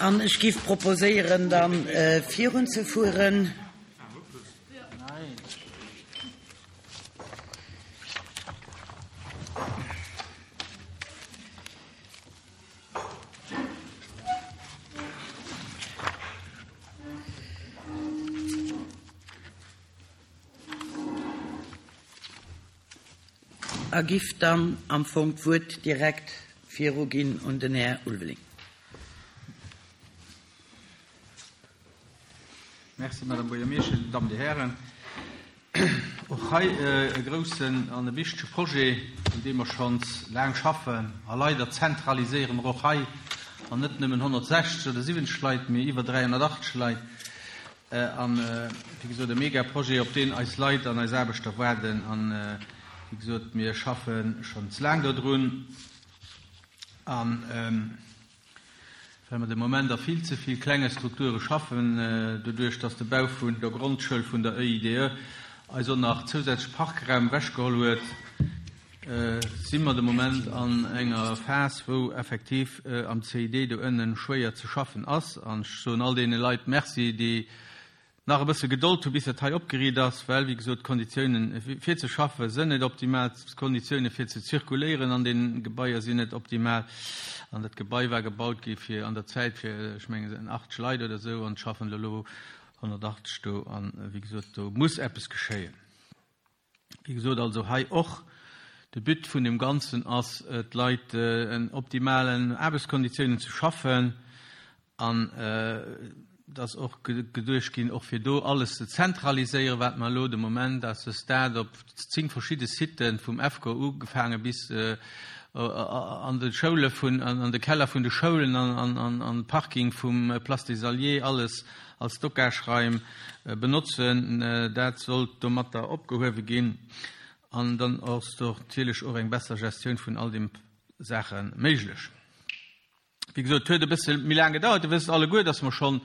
An ech giff proposéieren, dann virunzefueren. A giff dann am Fong d'Wuert direkt viruginn un den Här Ulveling. Merci, Madame Buergermeeschtesch, Dir Dammen, Dir Hären. Och hei e groussen an e wichtege Projet, un deem mer schonns laang schaffen. A leider zentraliséiere mer och hei, an net nëmmen 160 oder 70 Leit, mee iwwer 380 Leit. An, wéi gesot, e Megaprojet, op deen eis Leit an eis Aarbechter waarden. An, wéi gesot, mir schaffe schonns laang dodrun. An well mer de Moment a vill ze vill klenge Strukture schaffen, doduerch dass de Bau vun der Grondschoul vun der EIDE eis och nach zousätzlech Parkraum ewechgeholl huet, si mer de Moment an enger Phas, wou effektiv am CID do ënnen schwéier ze schaffen ass. An ech soen all deene Leit Merci, déi nach e bësse Gedold hu bis dat hei opgeriicht ass, well, wéi gesot, d'Konditiounen fir ze schaffe sënn net optimal, d'Konditiounen fir ze zirkuléieren an deene Gebaier sinn net optimal. An dat Gebai war gebaut gi fir an der Zäit fir, ech mengen, 80 Leit oder esou, an et schaffen der elo 180 do. An, wéi gesot, do muss eppes geschéien. Wéi gesot, also hei och, de But vun deem Ganzen ass, d'Leit en optimalen Aarbechtskonditiounen ze schaffen an et ass och geduecht ginn, och fir do alles ze zentraliséieren, wat mer elo de Moment à ce stade op 10 verschidde Siten, vum EFCO ugefaange bis an de Schoule vun, an de Keller vun de Schoulen an an de Parking vum Place des Alliés, alles als Stockageraim benotzen. Dat sollt domatter opgehuewe ginn an dann ass do natierlech och eng besser Gestioun vun all deem Saache méiglech. Wéi gesot, et huet e bësse méi laang gedauert. Dir wësst alleguer, dass mer schonn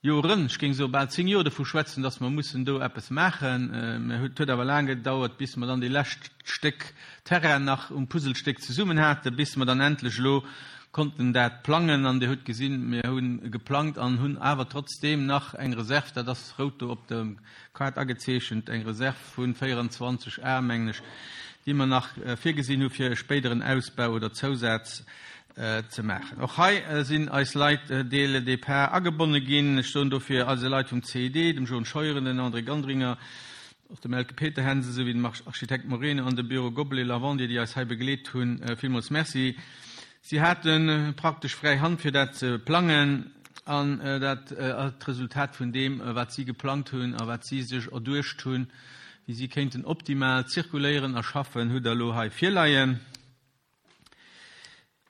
Joren, ech géing soe bal 10 Joer dovu schwätzen, dass mer mussen do eppes maachen. Mä et huet awer laang gedauert, bis mer dann déi lescht Stéck Terrain nach um Puzzlestéck zesummen haten, bis mer dann endlech elo konnten dat plangen. An Dir hutt gesinn, mir hu geplangt an hunn awer trotzdeem nach eng Reserv, dat ass rout do op der Kaart agezeechent, eng Reserv vu 24 Ar, mengen ech, déi mer nach virgesinn hu fir e spéideren Ausbau oder Zousaz ze maachen. Och hei sinn eis Leit dès le départ agebonne ginn. Ech soen dofir eise Leit vum CID, dem John Scheuren, den André Gandringer, och dem Elke Peterhänsel souwéi dem Architekt Moreno an dem Büro Goblet Lavandier, déi eis hei begleet hunn, villmools Merci. Si hate praktesch fräi Hand fir dat ze plangen an dat d'Resultat vun deem, wat si geplangt hunn a wat si sech erduecht hunn, wéi si kéinten optimal zirkuléieren a schaffen, hutt Der elo hei virleien.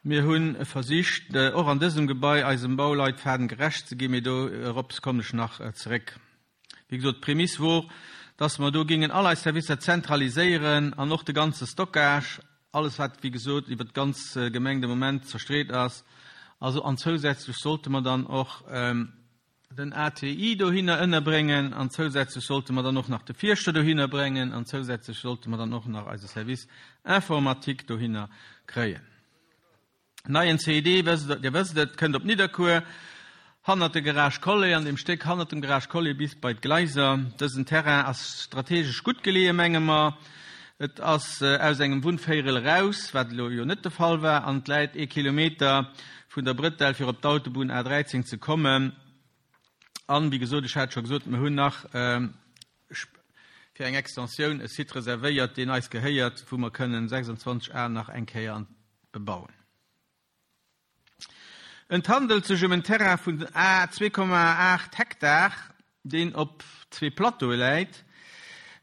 Mir hu versicht, och an dësem Gebai eisem Bauleitfaden gerecht ze ginn, mee dorops kommen ech nach zeréck. Wéi gesot, d'Prämiss wor, dass mer do géingen all eis Servicer zentraliséieren an och de ganze Stockage, alles wat, wéi gesot, iwwert d'ganz Gemeng de Moment zerstreet ass. Also, an zousätzlech sollte mer dann och den ATI dohinner ënnerbréngen an zousätzlech sollte mer dann och nach de Fierschter dohinner bréngen an zousätzlech sollte mer dann och nach eise Service informatique dohinner kréien. Neien CID, Dir wësst et, kënnt op Nidderkuer, hannert de Garage Collet, an deem Stéck hannert dem Garage Collet bis bei d'Gleiser. Dësen Terrain ass strategesch gutt geleeë, menge mer. Et ass aus engem Wunnvéierel eraus, wat elo jo net de Fall war, an et läit ee Kilometer vun der Brëtell fir op d'Autobunn A 13 ze kommen. An, wéi gesot, ech hat scho gesot, mir hunn nach fir eng Extensioun e Site reservéiert, deen eis gehéiert, wou mer kënnen 26 Ar nach eng Kéier bebauen. Et handelt sech ëm en Terrain vun 2,8 Hektar, deen op zwee Plateaue läit,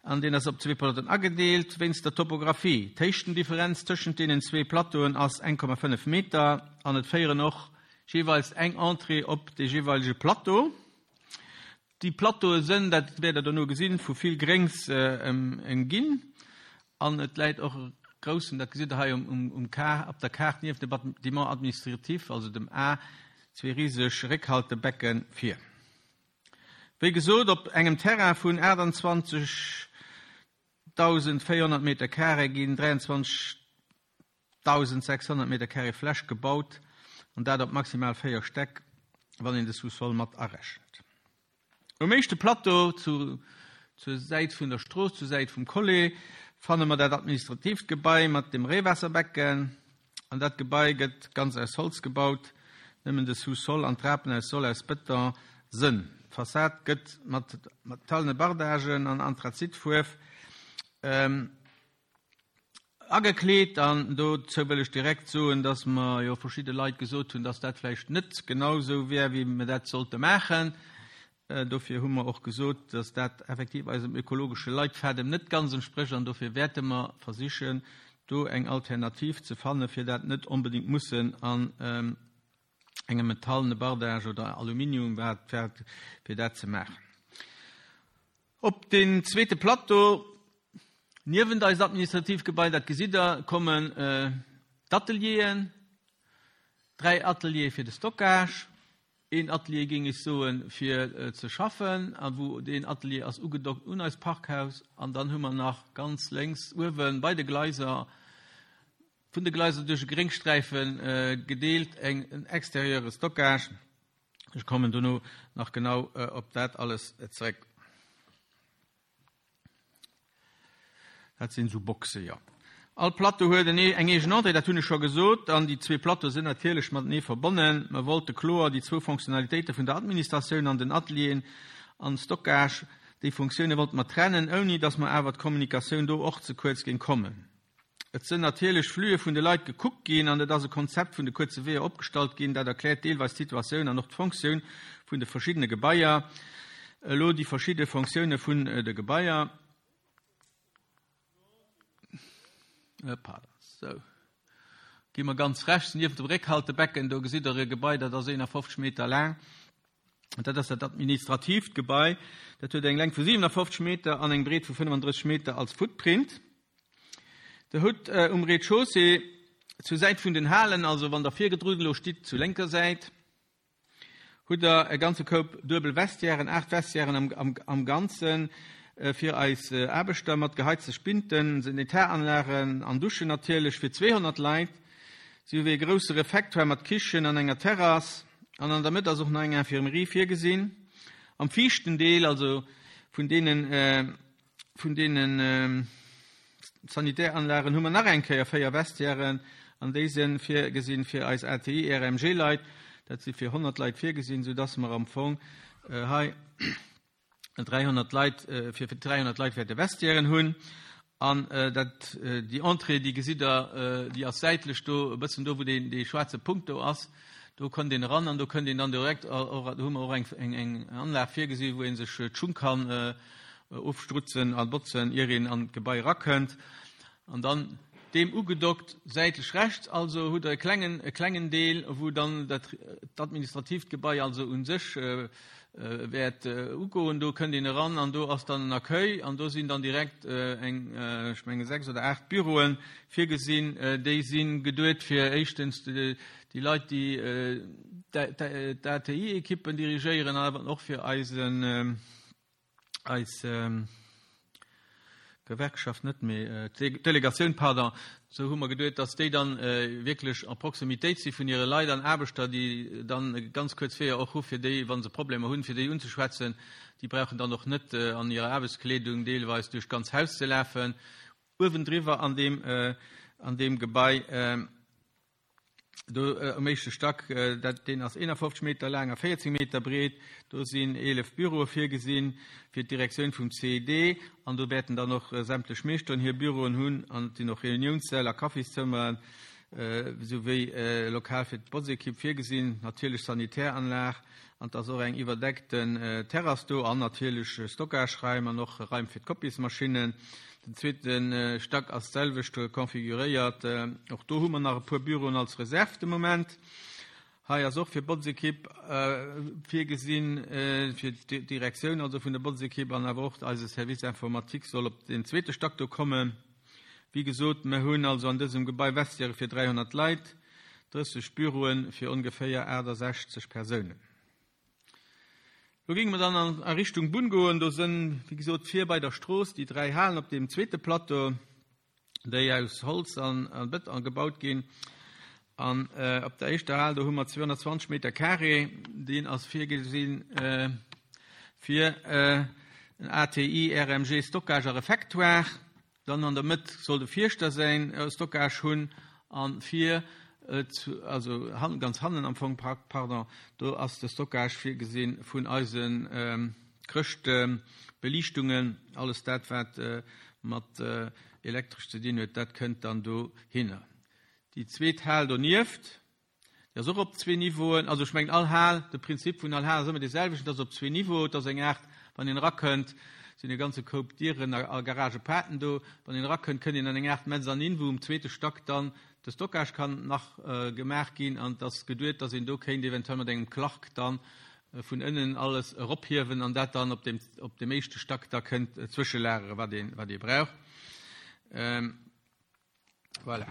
an deen ass op zwee Plateauen agedeelt wéinst der Topographie. D'Héichtendifferenz tëschent deenen zwee Plateauen ass 1,5 Meter an et féieren och jeeweils eng Entrée op de jeeweilege Plateau. Déi Plateaue sënn, dat wäert Der dono gesinn, vu vill Gréngs ëmginn an et läit och e groussen, dat gesitt Der hei um op der Kaart, nieft dem Bâtiment administratif, also dem A, zwee riseg Réckhaltebecke vir. Wéi gesot, op engem Terrain vun 28.400 Meter carré ginn 23. 1.600 Meter carré Fläch gebaut. An dat op maximal 4 Stäck, wann een de Sous-sol mat arechent. Um éischte Plateau, zu, zur Säit vun der Strooss, zur Säit vum Collet, fanne mer dat administratiivt Gebai mat dem Reewaasserbecken. An dat Gebai gëtt ganz aus Holz gebaut, nëmmen de Sous-sol an d'Trapen aus Sol aus Bëton sënn. D'Fassad gëtt mat metallene Bardagen an Anthrazitfuerf agekleet. An dozou wëll ech direkt soen, dass mer jo verschidde Leit gesot hunn, dass dat vläicht net genau esou wär, wéi mer dat sollte maachen. Dofir hu mer och gesot, dass dat effektiv eisem ökologesche Leitfadem net ganz entsprécht an dofir wäerte mer versichen, do eng Alternativ ze fanne fir dat net onbedéngt mussen an engem metallene Bardage oder Aluminium, wat wat, fir dat ze maachen. Op den zweete Plateau, niewent eist administratiivt Gebai, dat gesitt Der, kommen d'Atelieren, 3 Ateliere fir de Stockage, Een Atelier, géing ech soen, fir ze schaffen, a wou deen Atelier ass ugedockt un eist Parkhaus. An dann hu mer nach ganz lénks uewe bei de Gleiser, vun de Gleiser duerch e Gréngsträife gedeelt, eng, en extérieure Stockage. Ech kommen dono nach genau op dat alles zeréck. Dat sinn esou Boxe, jo. All Plateau huet en eng eegen Entrée, dat hunn ech scho gesot, an déi zwee Plateaue sinn natierlech matenee verbonnen. Mer wollte kloer déi zwou Fonctionnalitéite vun der Administratioun an den Atelieren an Stockage, déi Funktioune wollte mer trennen, ouni datt mer awer d'Kommunikatioun do och ze kuerz géing kommen. Et sënn natierlech Flüe vun de Leit gekuckt ginn an et ass e Konzept vun de kuerze Weeër opgestallt ginn. Dat erkläert deelweis d'Situatioun an och d'Fonctioun vun de verschiddene Gebaier. Elo déi verschidde Fonctioune vun de Gebaier. Pardon, sou. Gi mer ganz rechts nieft dem Réckhaltebecken, do gesitt Der e Gebai, dat ass 51 Meter laang. Dat ass dat administratiivt Gebai. Dat huet eng Längt vu 57 Meter an eng Breet vu 35 Meter als Footprint. Der hutt um Rez-de-chaussée zur Säit vun den Halen, also wann Der virgedrun elo stitt, zu lénker Säit, hutt Der e ganze Koup duebel Vestiairen, 8 Vestiairen am, am, am Ganzen, fir eis Aarbechter mat geheizte Spinten, Sanitäranlagen an Duschen natierlech fir 200 Leit, souwéi e grousse Refectoire mat Kichen an enger Terrass. An an der Mëtt ass och nach eng Infirmerie virgesinn. Am viischten Deel, also vun deenen, vun deenen Sanitäranlagen, hu mer nach eng Kéier 4 Vestiairen an déi si virgesinn fir eis ATI, RMG-Leit. Dat si fir 100 Leit virgesinn, soudass mer am Fong hei 300 Leit, fir 300 Leit wäerte Vestiairen hunn. An dat, déi Entrée, déi gesitt Der, déi ass säitlech do, e bëssen do, wou deen, dee schwaarze Punkt do ass. Do kënnt een eran an do kënnt een dann direkt och, do hu mer och eng, eng, eng Anlag virgesi wou ee sech d'Schung kann ofstrutzen a botzen, ier een an d'Gebai erakënnt. An dann deem ugedockt, säitlech rechts also, hutt Der e klengen, e klengen Deel, wou dann dat, d'administratiivt Gebai also u sech wäert ugoen. Do kënnt een eran an do ass dann en Accueil an do sinn dann direkt eng, ech menge 6 oder 8 Büroe virgesinn. Déi si geduet fir éischtens déi Leit, déi d'ATI-Ekippen dirigéieren an awer och fir eisen, eis Gewerkschaft net, mee d'Delegatioun, pardon, esou hu mer geduet, dass déi dann wierklech en Proximitéit si vun hire Leit an Aarbechter, déi dann ganz kuerz Weeër och hu fir déi, wa se Problemer hunn, fir déi unzeschwätzen. Déi brauchen dann och net an hirer Aarbechtskleedung deelweis duerch d'ganz Haus ze lafen. Uewendriwwer an deem, an deem Gebai. Do um éischte Stack, dat, deen ass 51 Meter laang a 14 Meter breet, do sinn 11 Büroe virgesinn fir d'Direktioun vum CED an do wäerten dann och sämtlech Meeschteren hir Büroen hunn an et sinn och Reuniounssäll a Kaffiszëmmeren souwéi e Lokal fir d'Botzekipp virgesinn, natierlech Sanitäranlag an et ass och eng iwwerdeckten Terrass do an natierlech Stockageraim an och Raim fir d'Kopiesmaschinnen. Den zweete Stack ass d'selwecht configuréiert. Och do hu mer nach e puer Büroen als Reserve de Moment. Hei ass och fir Botzekipp virgesinn, fir d'Direktioun also vun der Botzekipp an awer och eise Service informatique soll op den zweete Stack do kommen. Wéi gesot, mer hunn also an dësem Gebai Vestiaire fir 300 Leit, 30 Büroe fir ongeféier 68 Persounen. Lo géinge mer dann a Richtung Bunn goen. Do sënn, wéi gesot, vir bei der Strooss déi 3 Halen op deem zweete Plateau, déi aus Holz an Bëton gebaut ginn. An op der éischter Hal, do hu mer 220 Meter carré, deen ass virgesinn fir en ATI, RMG, Stockage a Refectoire. Dann an der Mëtt soll de Fierschter säin Stockage hunn a vir, also ganz hannen am Fong, pardon, do ass de Stockage virgesinn vun eise Chrëschtbeliichtungen, alles dat wat mat Elektresch ze dinn huet, dat kënnt dann dohinner. Déi zweet Hal donieft, déi ass och op zwee Niveauen. Also ech mengen all Hal, de Prinzip vun all Hal ass ëmmer dee selwechten, et ass op zwee Niveauen. Et ass eng Aart, wann een erakënnt, sinn e ganze Koup Dieren a Garagepaarten do. Wann een erakënnt, kënnt een an eng Aart Mezzanine, wou um zweete Stack dann de Stockage kann nach gemaach ginn. An et ass geduet, datt een do kéint eventuell mat engem Clark dann vun ënnen alles erophiewen an dat dann op deem, op deem éischte Stack da kënnt zwëschelagere wat een, wat ee brauch. Voilà.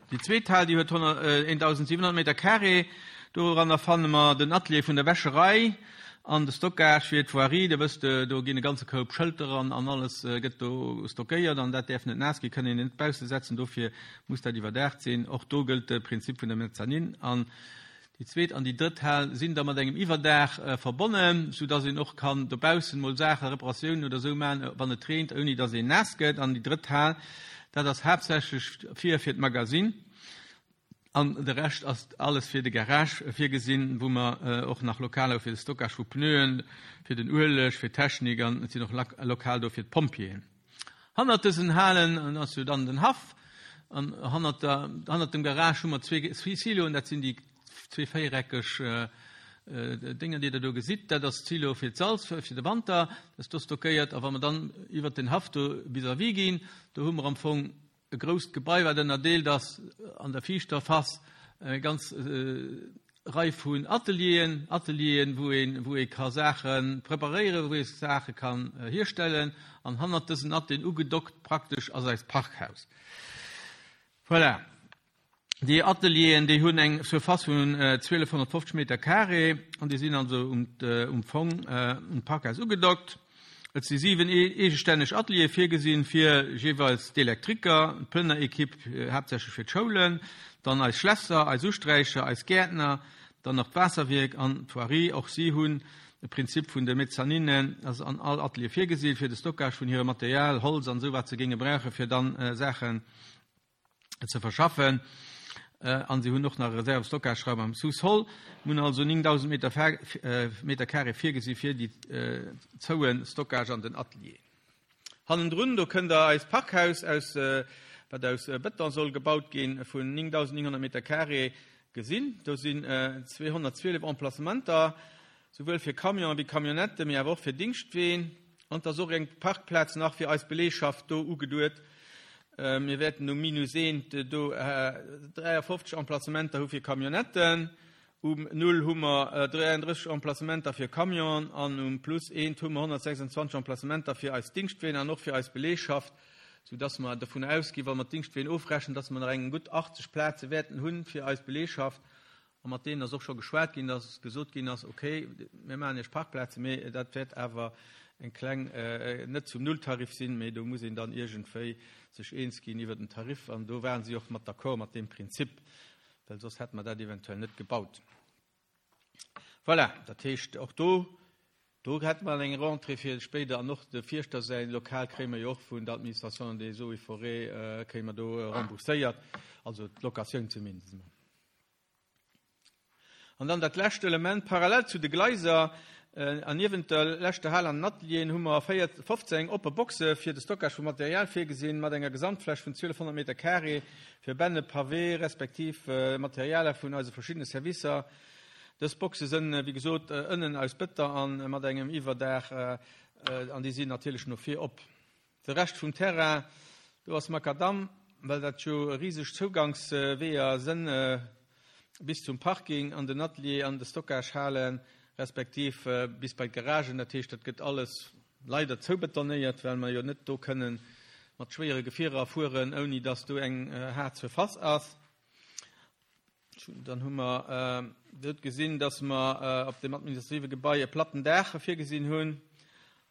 Déi zweet Hal, déi huet 1.700 Meter carré. Doranner fanne mer den Atelier vun der Wäscherei an de Stockage fir d'Voirie. Dir wësst, do ginn e ganze Koup Schëlter an an alles gëtt do stockéiert an dat däerf net naass ginn, kënn een net bausse setzen. Dofir muss dat iwwerdaacht sinn. Och do gëllt de Prinzip vun der Mezzanine. An Déi zweet an déi drëtt Hal sinn da mat engem Iwwerdaach verbonnen, sou dass een och kann dobaussen mol Saachen, Reparatiounen oder sou maachen, wann et reent, ouni dass een naass gëtt. An déi drëtt Hal, dat ass haaptsächlech fir fir d'Magasinn an de Rescht ass alles fir de Garage virgesinn, wou mer och nach Lokaler hu fir de Stockage vu Pneuen, fir den Ueleg, fir d'Technik an et sinn och Lokal do fir d'Pompjeeën. Hannert dësen Halen ass jo dann den Haff an hannert der, hannert dem Garage hu mer zwee Siloen, dat sinn déi zwee véiereckeg Dénger, déi Der do gesitt. Dat ass d'Silo fir d'Salz fir de Wanter, dat ass do stockéiert. A wa mer dann iwwert den Haff do vis-à-vis ginn, do hu mer am Fong e grousst Gebai, wat ënnerdeelt ass an der viischter Face eng ganz Rei vun Atelieren, Atelieren, wou een, wou ee ka Saache preparéieren, wou ee Saache kann hierstellen. An hannert dësen Atelieren ugedockt praktesch ass eist Parkhaus. Voilà. Déi Atelieren, déi hunn eng Surface vun 1.250 Meter carré an déi sinn also um Fong um Parkhaus ugedockt. Et si 7 eegestänneg Ateliere virgesinn fir jeeweils d'Elektriker, d'Plënnerekipp, haaptsächlech fir d'Schoulen, dann eis Schlässer, eis Usträicher, eis Gäertner, dann nach d'Waasserwierk an d'Voirie. Och si hunn de Prinzip vun de Mezzaninen ass an all Atelier virgesinn, fir de Stockage vun hirem Material, Holz an esou wat se géinge brauche fir dann Saachen ze verschaffen. An si hunn och nach e Reserve-Stockageraum am Sous-sol. Mir hunn also 9.000 Meter, Meter carré virgesi fir déi zoue Stockage an den Atelier. Hannendrun, do kënnt Der eist Parkhaus aus, wat aus Bëton soll gebaut ginn, vun 9.900 Meter carré gesinn. Do sinn 212 Emplacementer, souwuel fir Camionen wéi Camionnetten, mee awer och fir Dingschtween. An et ass och eng Parkplaz nach fir eis Beleegschaft do ugeduet. Mir wäerten um Minus eent do 53 Emplacementer hu fir Camionnetten, um Null hu mer 33 Emplacementer fir Camionen an um Plus eent hu mer 126 Emplacementer fir eis Dingschtween an och fir eis Beleegschaft, soudass mer dovun ausginn, wa mer d'Dingschtween ofrechnen, dass mer nach eng gutt 80 Plaze wäerten hu fir eis Beleegschaft. A mat deenen ass och scho geschwat ginn, dass gesot ginn ass, okay, mir maachen Iech Parkplazen, mee dat wäert awer eng kleng, net zum Nulltarif sinn, mee do muss een dann iergendwéi sech eens ginn iwwert den Tarif. An do ware si och mat d'accord mat deem Prinzip, well soss hätte mer dat eventuell net gebaut. Voilà, dat heescht, och do, do hätte mer eng Rentrée fir spéider. An och de Fierschter säi Lokal kréie mer jo och vun der Administration des Eaux et Forêts, kréie mer do rembourséiert, also d'Locatioun zumindest emol. An dann dat lescht Element, parallel zu de Gleiser an niewent der leschter Hal an den Atelieren hu mer 15 oppe Boxe fir de Stockage vu Material virgesinn, mat enger Gesamtfläch vun 1.200 Meter carré fir Benne, Pavé respektiv Materialer vun eise verschiddene Servicer. Dës Boxe sënn, wéi gesot, ënnen aus Bëtter an mat engem Iwwerdaach an déi sinn natierlech no vir op. De Rescht vum Terrain, do ass Makadamm, well dat jo riseg Zougangsweeër sënn bis zum Parking an den Atelier an de Stockagehalen, respektiv bis bei d'Garagen. Dat heescht, dat gëtt alles leider zoubetonéiert, well mer jo net do kënnen mat schwéiere Gefierer fueren, ouni dass do eng haart Surface ass. Dann hu mer dot gesinn, dass mer op dem administrative Gebai e platten Daach virgesinn hunn.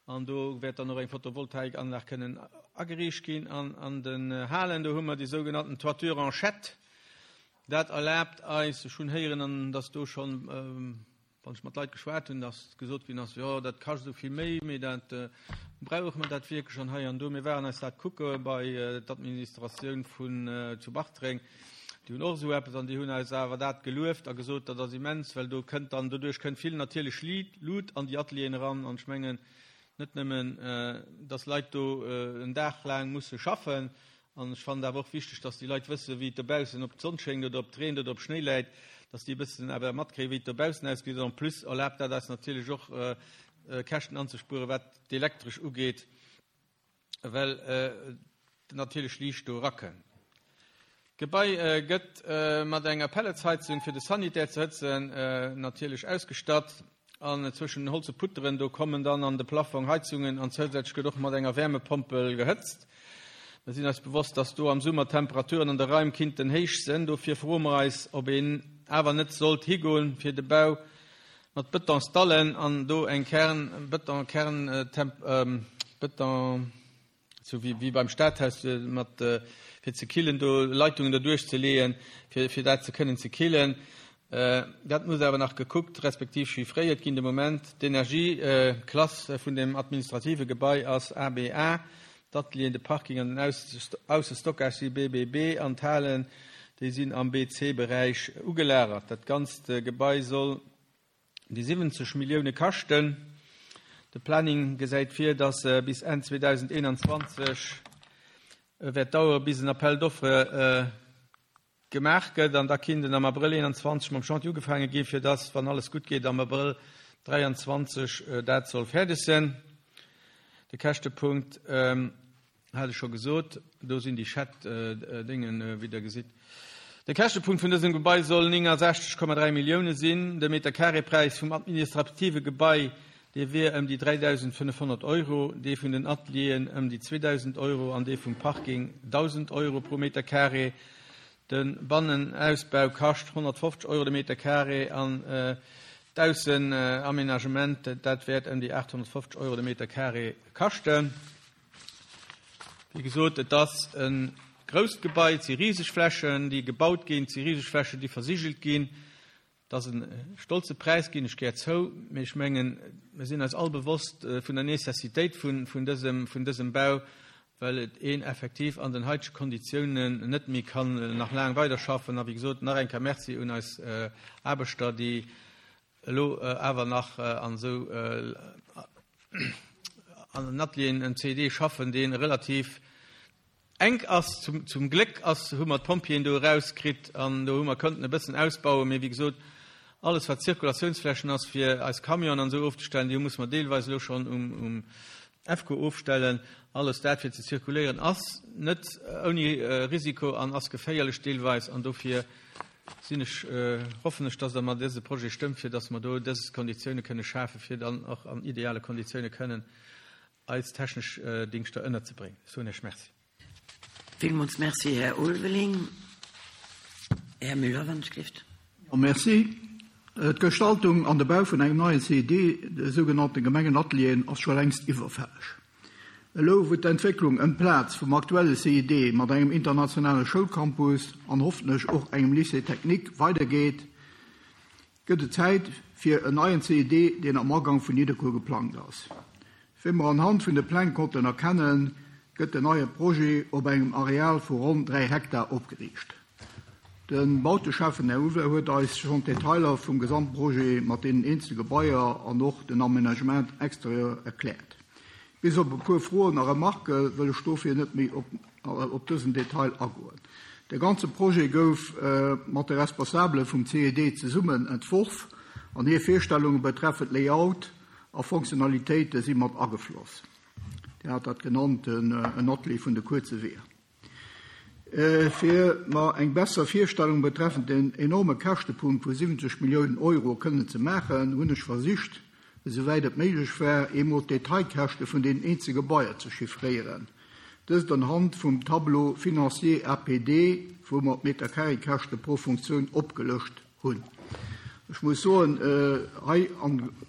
An do wäert dann och eng Photovoltaikanlag kënnen ageriicht ginn. An an den Halen, do hu mer déi sougenannten Toiture en chette. Dat erlaabt eis, ech hunn héieren, an dass do schonn, wann ech mat Leit geschwat hunn, dass gesot ginn ass, jo dat kascht esou vill méi, mee dat brauche mer dat wierklech an hei an do. Mir waren eis dat kucke bei d'Administratioun vun zu Bartreng, déi hunn och esou eppes an déi hunn eis awer dat gelueft a gesot, dat ass immens, well do kënnt dann, doduerch kënnt vill natierlech Lut an déi Atelieren eran an ech mengen net nëmmen, dass Leit do en Dag laang musse schaffen, An ech fannen et awer och wichteg, dass déi Leit wëssen, wéi et dobaussen, ob d'Sonn schéngt oder ob et reent oder ob Schnéi läit, dass déi e bëssen awer matkréien, wéi et dobaussen ausgesäit. En plus erlaabt dat eis natierlech och, Käschten anzespueren, wat d'Elektresch ugeet, well natierlech Liicht do erakënnt. D'Gebai gëtt mat enger Pelletsheizung, fir de Sanitär ze hëtzen, natierlech ausgestatt. An zwëschen den holze Putteren, do kommen dann an de Plaffong Heizungen an zousätzlech gëtt och mat enger Wärmepompel gehëtzt. Mir sinn eis bewosst, dass do am Summer d'Temperaturen an de Raim kinnten héich sënn. Dofir froe mer eis, ob een awer net sollt higoen, fir de Bau mat Betonsdallen an do eng Kern, Beton, Kern, Beton, Sou wéi beim Stadhaus mat fir ze killen, do Leitungen derduerch ze leeën, fir dat ze kënnen ze killen. Dat muss awer nach gekuckt respektiv chiffréiert ginn. De Moment, d'Energieklass vun dem administrative Gebai ass ABA, d'Atelieren, de Parking an den Aussestockage si BBB an d'Halen, déi sinn am BC-Beräich ugelagert. Dat ganzt Gebai soll déi 70 Millioune kaschten. De Planning gesäit vir, datt bis Enn 2021 wäert dauere bis en Appel d'offres gemaach gëtt an da kinnt en am Abrëll 21 mam Chantier ugefaange ginn, fir datt, wann alles gutt geet, am Abrëll 23 dat soll fäerdeg sinn. De Käschtepunkt. Hat ech scho gesot, do sinn déi Chat-Déngen, wéi Der gesitt. De Käschtepunkt vun dësem Gebai soll 69,3 Millioune sinn. De Meterkaree-Präis vum administrative Gebai, dee wier ëm déi 3.500 Euro, dee vun den Atelieren ëm déi 2.000 Euro an dee vum Parking 1.000 Euro pro Meterkaree. De Bannenausbau kascht 150 Euro de Meterkaree an d'Aussenaménagement, dat wäert ëm déi 850 Euro de Meterkaree kaschten. Wéi gesot, et ass e grousst Gebai, et si riseg Flächen, déi gebaut ginn, et si riseg Flächen, déi versigelt ginn. Et ass e stolze Präis, ginn ech gär zou, mee ech mengen, mir sinn eis all bewosst vun der Necessitéit vun dësem Bau, well et een effektiv an den haitege Konditiounen net méi kann nach laang weiderschaffen. A wéi gesot, nach eng Kéier Merci un eis Aarbechter, déi elo awer nach an esou an den Atelieren en CED schaffen, dee relativ enk ass. Zum Gléck ass, hu mer d'Pompjeeën do erauskritt an do hu mer kënnten e bëssen ausbauen. Mee wéi gesot, alles wat Zirkulatiounsflächen ass fir eis Camionen an esou ofzestellen, déi musse mer deelweis elo schonn um EFCO ofstellen. Alles dat fir ze zirkuléieren ass net ouni Risiko an ass geféierlech deelweis an dofir sinn ech, hoffen ech, dass Der mer dëse Projet stëmmt, fir dass mer do dës Konditioune kënne schafen, fir dann och an ideale Konditioune kënnen eis technesch Dingschter ënnerzebréngen. Ech soen Iech Merci. Villmools Merci, Här Ulveling. Här Müller, wann ech gelift. Jo, merci. D'Gestaltung an de Bau vun engem neien CID, de sougenannte Gemengenatelieren, ass scho längst iwwerfälleg. Elo wou d'Entwécklung ëm d'Plaz vum aktuelle CID mat engem internationale Schoulcampus an hoffentlech och engem Lycée technique weidergeet, gëtt et Zäit fir en neien CID, deen am Agang vun Nidderkuer geplangt ass. Wéi mer anhand vun de Pläng konnten erkennen, gëtt den neie Projet op engem Areal vu ronn 3 Hektar opgeriicht. De Bauteschäffen Här Uwe huet eis schonn d'Detailer vum Gesamtprojet mat deenen eenzele Gebaier an och den Aménagement extérieur erkläert. Bis op e puer Froen a Remarquë wëll ech dofir net méi op dësen Detail agoen. De ganze Projet gouf mat de Responsabele vum CED zesummen entworf an hir Virstellunge betreffend Layout a Fonctionnalitéite si mat agefloss. Dir hat dat genannt, en Atelier vun de kuerze Weeër. Fir mer eng besser Virstellung betreffend den enorme Käschtepunkt vu 70 Milliounen Euro kënnen ze maachen, hunn ech versicht, esouwäit et méiglech war, eemol d'Detailkäschte vun deenen eenzel Gebaier ze chiffréieren, dëst anhand vum Tableau financier APD, wou mer d'Meterkarekäschte pro Funktioun opgelëscht hunn. Ech muss soen, hei,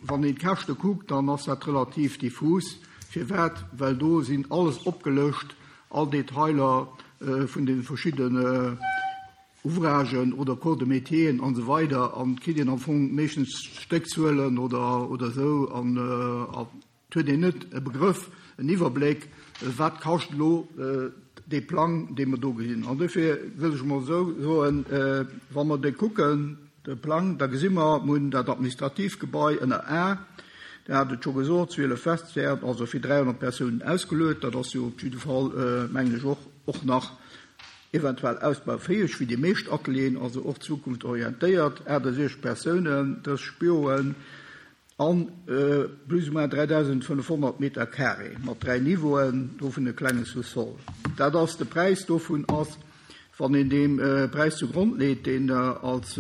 wann een d'Käschte kuckt, dann ass dat relativ diffus. Firwat? Well do sinn alles opgelëscht, all Detailer vun de verschiddene. Ouvragen oder Corps de métieren an esou weider an et kritt een am Fong meeschtens Stéckzuelen oder oder esou an et huet een net e Begrëff, en Iwwerbléck, wat kascht elo dee Plang, dee mer do gesinn. An dofir wëll ech emol esou soen, wa mer dee kucken, de Plang, da gesi mer, mer hunn dat administratiivt Gebai ënner A, Der hat et scho gesot, 12 Vestiairen, also fir 300 Persounen ausgeluet, dat ass jo op jidde Fall, mengen ech, och och nach eventuell ausbaufäeg wéi déi meescht Atelieren, also och zukunftsorientéiert, 68 Persounen, 30 Büroen an plus ou moins 3.500 Meter carré mat dräi Niveauen, dovun e klenge Sous-sol. Dat ass de Präis dovun ass, wann een deem Präis zu Grond leet, deen als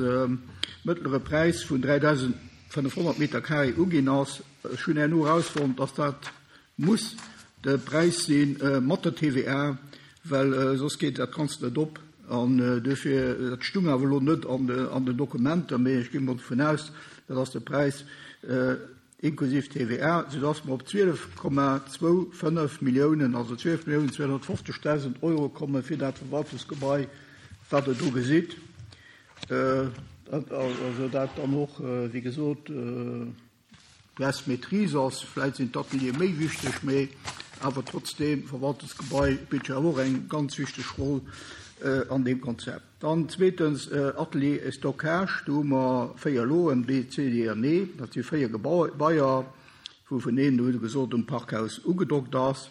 mëttlere Präis vun 3.500 Meter carré uginn ass. Ech hunn herno erausfonnt, dass dat Muss de Präis si mat der TVA, well soss geet dat Ganzt net op. An duerfir, dat stung awer elo net an den Dokumenter, mee ech gi mol dovun aus, dat ass de Präis inklusiv TVA, soudass mer op 12,25 Milliounen, also 12.250.000 Euro komme fir dat Verwaltungsgebai, wat Der do gesitt. Also dat dann och, wéi gesot, Less Maîtrise ass. Vläit sinn d'Ateliere méi wichteg, mee awer trotzdeem, d'Verwaltungsgebai spillt jo awer och eng ganz wichteg Roll an deem Konzept. Dann zweetens Atelier et Stockage, do hu mer 4 Loen, B, C, D an E. Dat si 4 Gebaier, wouvun een, hu se gesot, um Parkhaus ugedockt ass.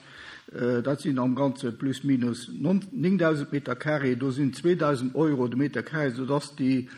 Dat sinn am Ganze plus minus 9.000 Meter carré. Do sinn 2.000 Euro de Meter carré, soudass déi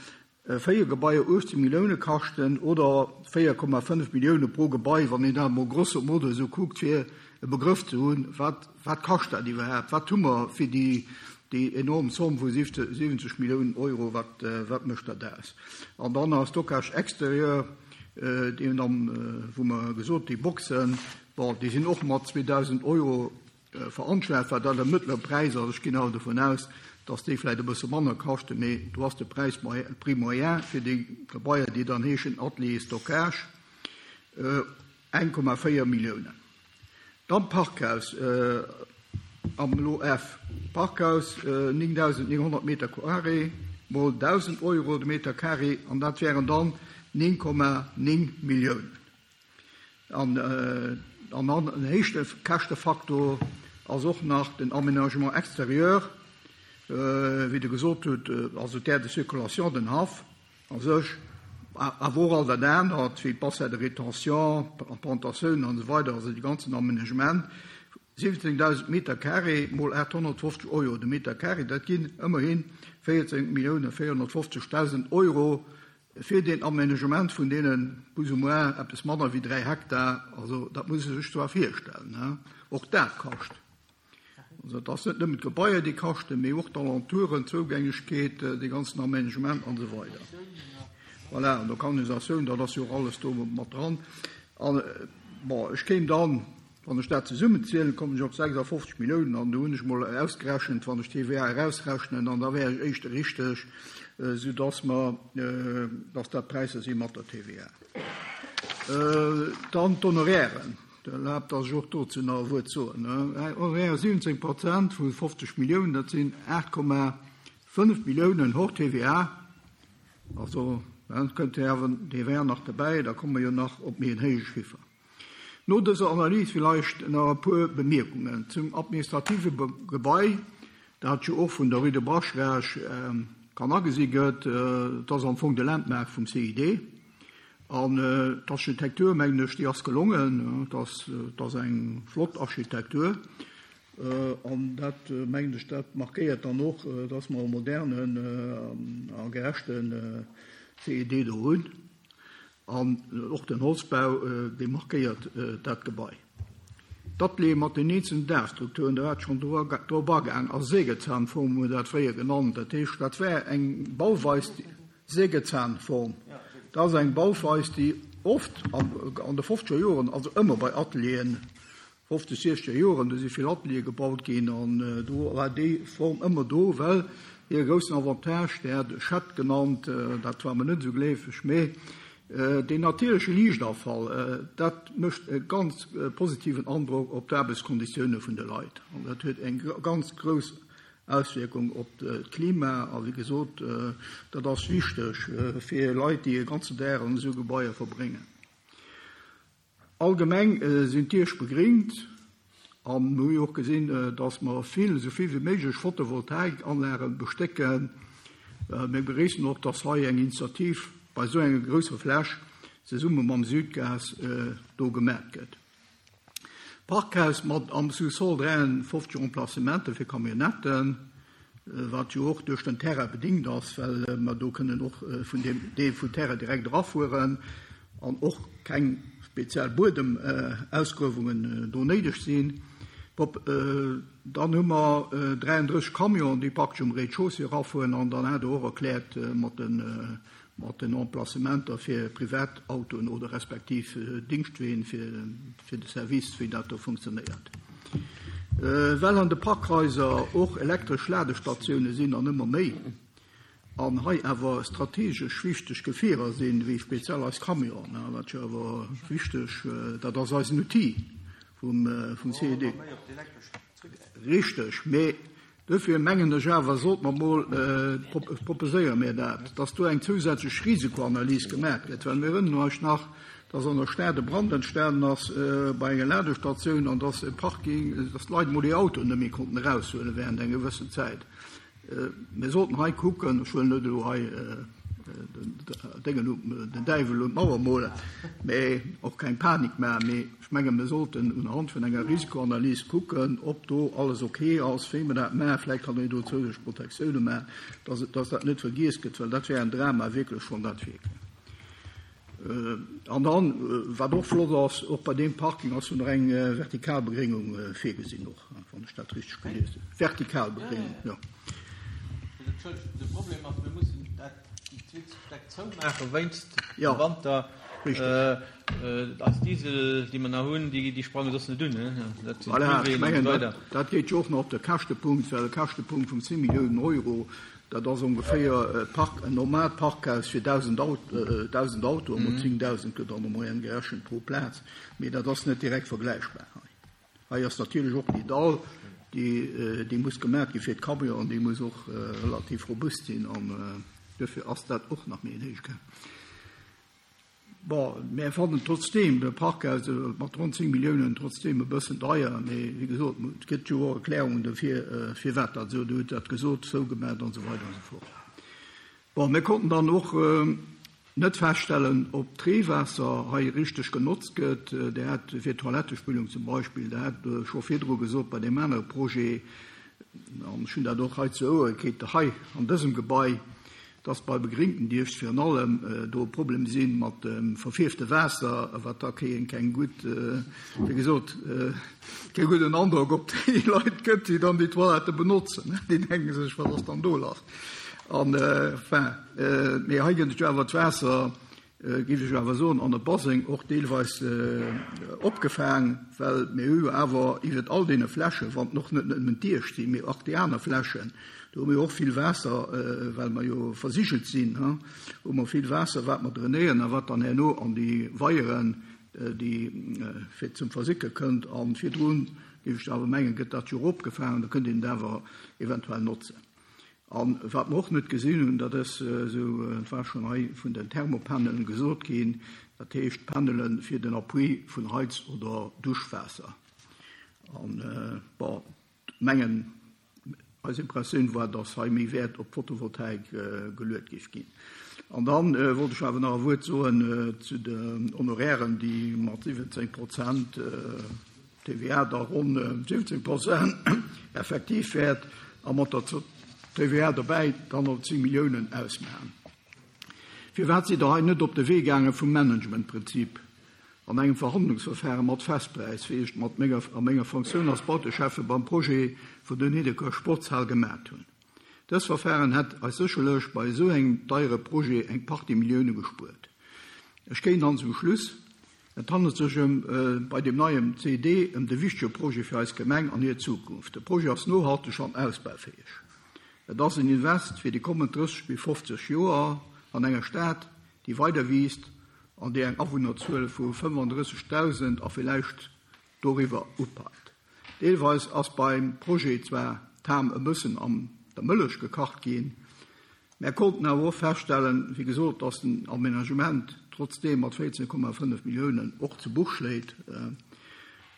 4 Gebaier 18 Millioune kaschten oder 4,5 Millioune pro Gebai, wann een dat emol grosso modo esou kuckt, fir e Begrëff ze hunn, wat, wat kascht dat iwwerhaapt, wat hu mer fir déi, déi enorm Zomm vu 70 Milliounen Euro, wat, wat mécht dat aus? An dann nach Stockage extérieur, deen am, wou mer gesot, déi Boxen, bon, déi sinn och mat 2.000 Euro Veranschlagt, wat dat e mëttlere Präis ass. Ech ginn awer dovun aus, dass déi vläicht e bësse manner kaschten, mee do ass de Präis, Prix moyen fir déi Gebaier, déi dann heeschen Atelier Stockage, 1,4 Milliounen. Dann d'Parkhaus am Lot F. Parkhaus, 9.900 Meter carré mol 1.000 Euro de Meter carré, an dat wären dann 9,9 Milliounen. An en héichte Käschtefaktor ass och nach den Aménagement extérieur, wéi Der gesot hutt, also d'Aire de circulation, den Haff a sech, awer och all dat anert, wéi d'Bassin de rétention, d'Plantatiounen an esou weider, also dee ganzen Aménagement. 17.000 Meter carré mol 850 Euro de Meter carré, dat ginn ëmmerhi 14.450.000 Euro Fir deen Aménagement vun deene plus ou moins eppes manner wéi 3 Hektar, also dat muss ee sech zwar virstellen, he, och dat kascht. Also et ass net nëmmen d'Gebaier, déi kaschten, mee och d'Alentouren, d'Zougängegkeet, dee ganzen Aménagement an esou weider. Voilà, an d'Organisatioun, dat ass jo och alles do mat dran. An, bon, ech kéim dann Wann ech dat zesummenzielen, kommen ech op 56 Milliounen an do hunn ech emol ausgerechent, wann ech d'TVA erausrechnen, an da wär ech éischter richteg, soudass mer, dass dat d'Präisser si mat der TVA. Dann d'Honorairen. Erlaabt, dass ech och dozou nach e Wuert soen. Honoraire 17 Prozent vu 50 Milliounen, dat sinn 8,5 Milliounen hors TVA. Also, da kënnt d'TVA nach derbäi, da komme mer jo nach op méi en héije Chiffer. No dëser Analys villeicht nach e puer Bemierkungen zum administrative Gebai, dat jo och vun der Rue de Braschrech kann agesi gëtt. Et ass am Fong de Landmark vum CID. An d'Architektur, mengen ech, déi ass gelongen. Et ass eng flott Architektur. An dat, mengen ech, dat markéiert dann och, dass mer e modernen a gerechte CID do hunn. An och den Holzbau, dee markéiert dat Gebai. D'Ateliere mat den eenzelnen Daachstrukturen, do hat schonn drop agaang, a Sägezahnform hu mer dat fréier genannt. Dat heescht, dat war eng Bauweis, Sägezahnform, dat ass eng Bauweis, déi oft an de fofzeger Joren, also ëmmer bei Atelieren, 50, 60er Joren, do si vill Ateliere gebaut ginn an do war déi Form ëmmer do, well hire groussen Avantage, dee hat e Chat genannt, dat war mer net esou gleefeg, mee deen natierleche Liichtafall, dat mécht e ganz positiven Androck op d'Aarbechtskonditioune vun de Leit an dat huet eng ganz grouss. Auswierkung op d'Klima. A wéi gesot, dat ass wichteg fir Leit, déi e ganzen Dag an esou Gebaier verbréngen. Allgemeng sinn d'Diech begringt a mir hu jo och gesinn, dass mer vill, esou vill wéi méiglech Photovoltaikanlage bestécken. Mir begréissen och, dass hei eng Initiativ bei esou enger grousser Fläch zesumme mam Sudgaz do gemat gëtt. Parkhaus mat am Sous-sol 53 Emplacementen fir Camionnetten, wat jo och duerch den Terrain bedingt ass, well mer do kënnen och vun deem Deel vum Terrain direkt erafueren an och keng speziell Buedemausgruewungen do néideg sinn. Dann hu mer 33 Camionen, déi praktesch um Rez-de-chaussée erafueren an dann hat Der och erkläert mat de mat den Emplacementer fir Privatautoen oder respektiv Dingschtween fir de Service, wéi dat do funktionéiert. Well an de Parkhaiser och elektresch Ladestatioune sinn an ëmmer méi, an hei awer strategesch wichteg Gefierer sinn, wéi speziell eis Camionen, wat jo awer wichteg, dat ass eisen Outil vum CED. Richteg, mee Duerfir mengen ech awer, sollt mer emol, proposéiere mir dat, dass do eng zousätzlech Risikoanalys gemaach gëtt, well mir erënneren eis nach, dass an der Stad e Brand entstanen ass bei enger Ladestatioun an dass e Parking, dass d'Leit emol hir Autoen net méi konnten eraushuelen während enger gewëssen Zäit. Mir sollten hei kucken, ech wëll net elo hei den Däiwel un d'Mauer molen, mä och keng Panik maachen, mee ech menge mir sollten unhand vun enger Risikoanalys kucken, ob do alles ok ass, wéi mer dat maachen. Vläicht kann een do zousätzlech Protektioune maachen, dass dat net vergiess gëtt, well dat wär en Drama wierklech, wann dat wier. An dann, wat och flott ass, och bei deem Parking ass jo nach eng vertikal Begréngung virgesinn och, wann ech dat richteg gelies hunn. Vertikal Begréngung, jo. Entschëllegt, de Problem ass, mir mussen dat, déi zweet Stäck zoumaache wéinst dem Wanter. Richteg. Eis Diesel, déi mer nach hunn, déi sprange soss net un. Dat sinn Voilà, ech mengen, dat geet jo och nach op de Käschtepunkt, well e Käschtepunkt vun 10 Milliounen Euro, Dat ass ongeféier e Park, en normaalt Parkhaus fir 1.000 Autoen, mol 10.000 gëtt an der Moyenne gerechent pro Plaz, mee dat ass net direkt vergläichbar hei. Hei ass natierlech och déi Dall, déi muss gemaach gi fir d'Camionen, déi muss och relativ robust sinn an duerfir ass dat och nach méi en héije Cas. Bon, mär fannen trotzdeem de Parkhaus mat ronn 10 Milliounen trotzdeem e bëssen deier, mee wéi gesot, et gëtt jo och Erklärungen dofir, firwat dat esou, Dir hutt dat gesot, zougemat an esou weider an esou fort. Bon, mir konnten dann och net feststellen, ob d'Reewaasser hei richteg genotzt gëtt. Dir hat fir d'Toilettespüllung zum Beispill, Der hat scho virdru gesot bei deem anere Projet, an ech hunn dat och hei zu Ouere kritt, hei an dësem Gebai, dass bei begringten dierft virun allem do e Problem si mat dem verfierfte Waasser, wat da keng keng gutt, wéi gesot, kee gudden Androck op déi Leit gëtt, déi dann déi Toilette benotzen. Déi denke sech, wat ass dann do lass? An enfin, mee hei gëtt et jo awer d'Waasser, géif ech awer soen, an e Baseng och deelweis opgefaang, well mir hu jo awer iwwert all deene Flächen, wann och net nëmmen d'Iescht sinn, mee och déi aner Flächen, do hu mir och vill Waasser, well mer jo versigelt sinn, hu mer vill Waasser, wat mer drainéieren a wat dann herno an déi Weieren, déi fir zum Versicke kënnt. A virdrun, géif ech awer mengen, gëtt dat jo och opgefaangen, da kënnt een et awer eventuell notzen. A wat mer och net gesinn hunn, dat ass esou, et war schonn hei vun den Thermopanelen gesot ginn, dat heescht Panele fir den Appui vun Heiz oder Duschwaasser. An, bon, mengen, eis Impressioun war, dass hei méi Wäert op d'Photovoltaik geluet géif ginn. An da wollt ech awer nach e Wuert soen zu den Honorairen, déi mat 17 Prozent, TVA da ronn 17 Prozent effektiv wäert a mat der TVA dobäi dann op 10 Milliounen ausmaachen. Firwat sidd Der hei net op de Wee gaange vum Managementprinzip an engem Verhandlungsverfahre mat Festpräis, wéi ech et mat menger a menger Fonctioun als Bauteschäffe beim Projet vun der Niddeker Sportshal gemat hunn? Dës Verfahren hätt eis sécherlech bei esou engem deiere Projet eng Partie Millioune gespuert. Ech kéint dann zum Schluss Et handelt sech ëm bei deem neiem CED ëm de wichtege Projet fir eis Gemeng an hir Zukunft. De Projet ass nohalteg an ausbaufäeg. Et ass en Invest fir déi kommend 30 bis 50 Joer an enger Stad, déi weider wiisst an déi eng Awunnerzuel vu 35.000 a villäicht doriwwer upeilt. Deelweis ass beim Projet zwar. d'Ham e bëssen an der Mëllech gekacht ginn. Mär konnten awer och feststellen, wéi gesot, dass den Aménagement trotzdeem mat 14,5 Milliounen och zu Buch schléit.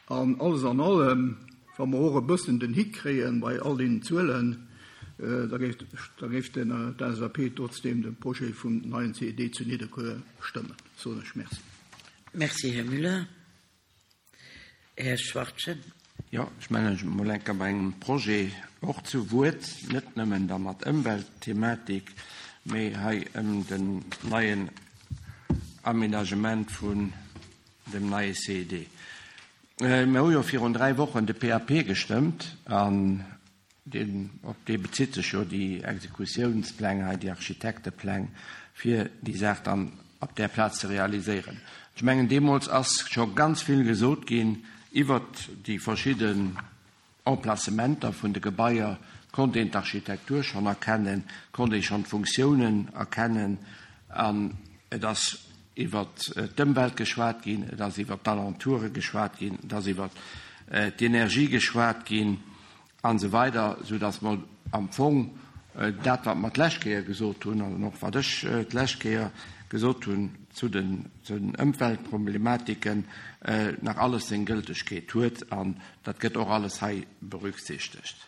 An alles an allem, wa mer och e bëssen den Hick kréie bei all deenen Zuelen, da géif, da géif den d'LSAP trotzdeem de Projet vum neien CED zu Nidderkuer stëmmen. Soen ech Merci. Merci, Här Müller. Här Schwachtgen. Jo, ech mellen mech emol enker bei engem Projet och zu Wuert, net nëmmen da mat Ëmweltthematik, mee hei ëm den neien Aménagement vun dem neie CED. Mir hu jo virun 3 Wochen de PAP gestëmmt an Deen, op dee bezitt sech jo déi Exekutiounspläng hei, déi Architektepläng, fir déi Saach dann op där Plaz ze realiséieren. Ech mengen, deemools ass scho ganz vill gesot ginn iwwert déi verschidden Emplacementer vun de Gebaier, konnt een d'Architektur schonn erkennen, konnt ee schonn d'Funktiounen erkennen an et ass iwwert d'Ëmwelt geschwat ginn, et ass iwwert d'Alentoure geschwat ginn, et ass iwwert d'Energie geschwat ginn. An esou weider, sou dass mer am Fong dat, wat mer d'lescht Kéier gesot hunn, an och wat ech d'lescht Kéier gesot hunn zu den Ëmweltproblematiken, nach alles seng Gëltegkeet huet. An dat gëtt och alles hei berücksichtegt.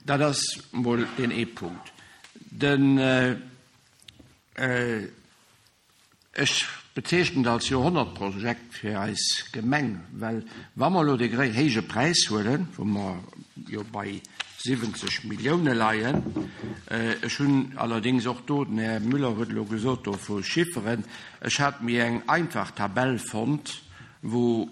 Dat ass emol deen ee Punkt. Den. Ech bezeechnen et als Joerhonnertprojekt fir eis Gemeng, well wa mer elo dee héije Präis huelen, wou mer jo bei 70 Millioune leien, ech hunn allerdéngs och do, den Här Müller huet elo gesot do vu Chifferen, ech hat mir eng einfach Tabell fonnt, wou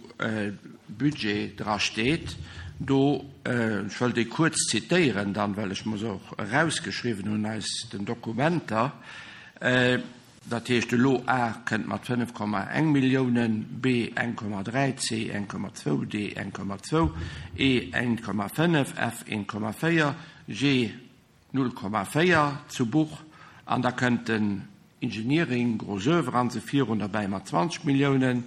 Budget dra steet, do, ech wëll déi kuerz zitéieren dann, well ech mer se och erausgeschriwwen hunn aus den Dokumenter, Dat heescht elo A kënnt mat 5,1 Milliounen, B 1,3, C 1,2, D 1,2, E 1,5, F 1,4, G 0,4 zu Buch an da kënnt den Engineering, Gros oeuvre an esou virun derbäi mat 20 Milliounen,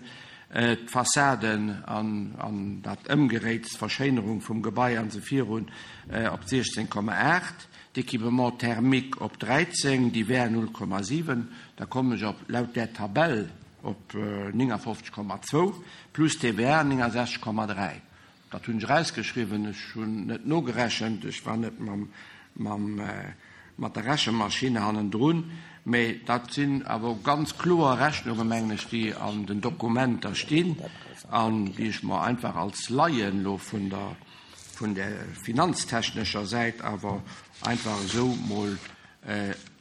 d'Fassaden an dat Ëmgeréits, d'Verschéinerung vum Gebai an esou virun op 16,8. D'Équipement thermique op 13, divers 0,7, da kommen ech op, laut där Tabell, op 59,2, plus TVA 69,3. Dat hunn ech erausgeschriwwen, ech hunn net nogerechent, ech war net mam, mam, mat der Rechemaschinn hannendrun, mä dat sinn awer ganz kloer Rechnungen, mengen ech, déi an den Dokumenter stinn an déi ech mer einfach als Laien elo vun der, vun der finanztechnescher Säit awer einfach esou mol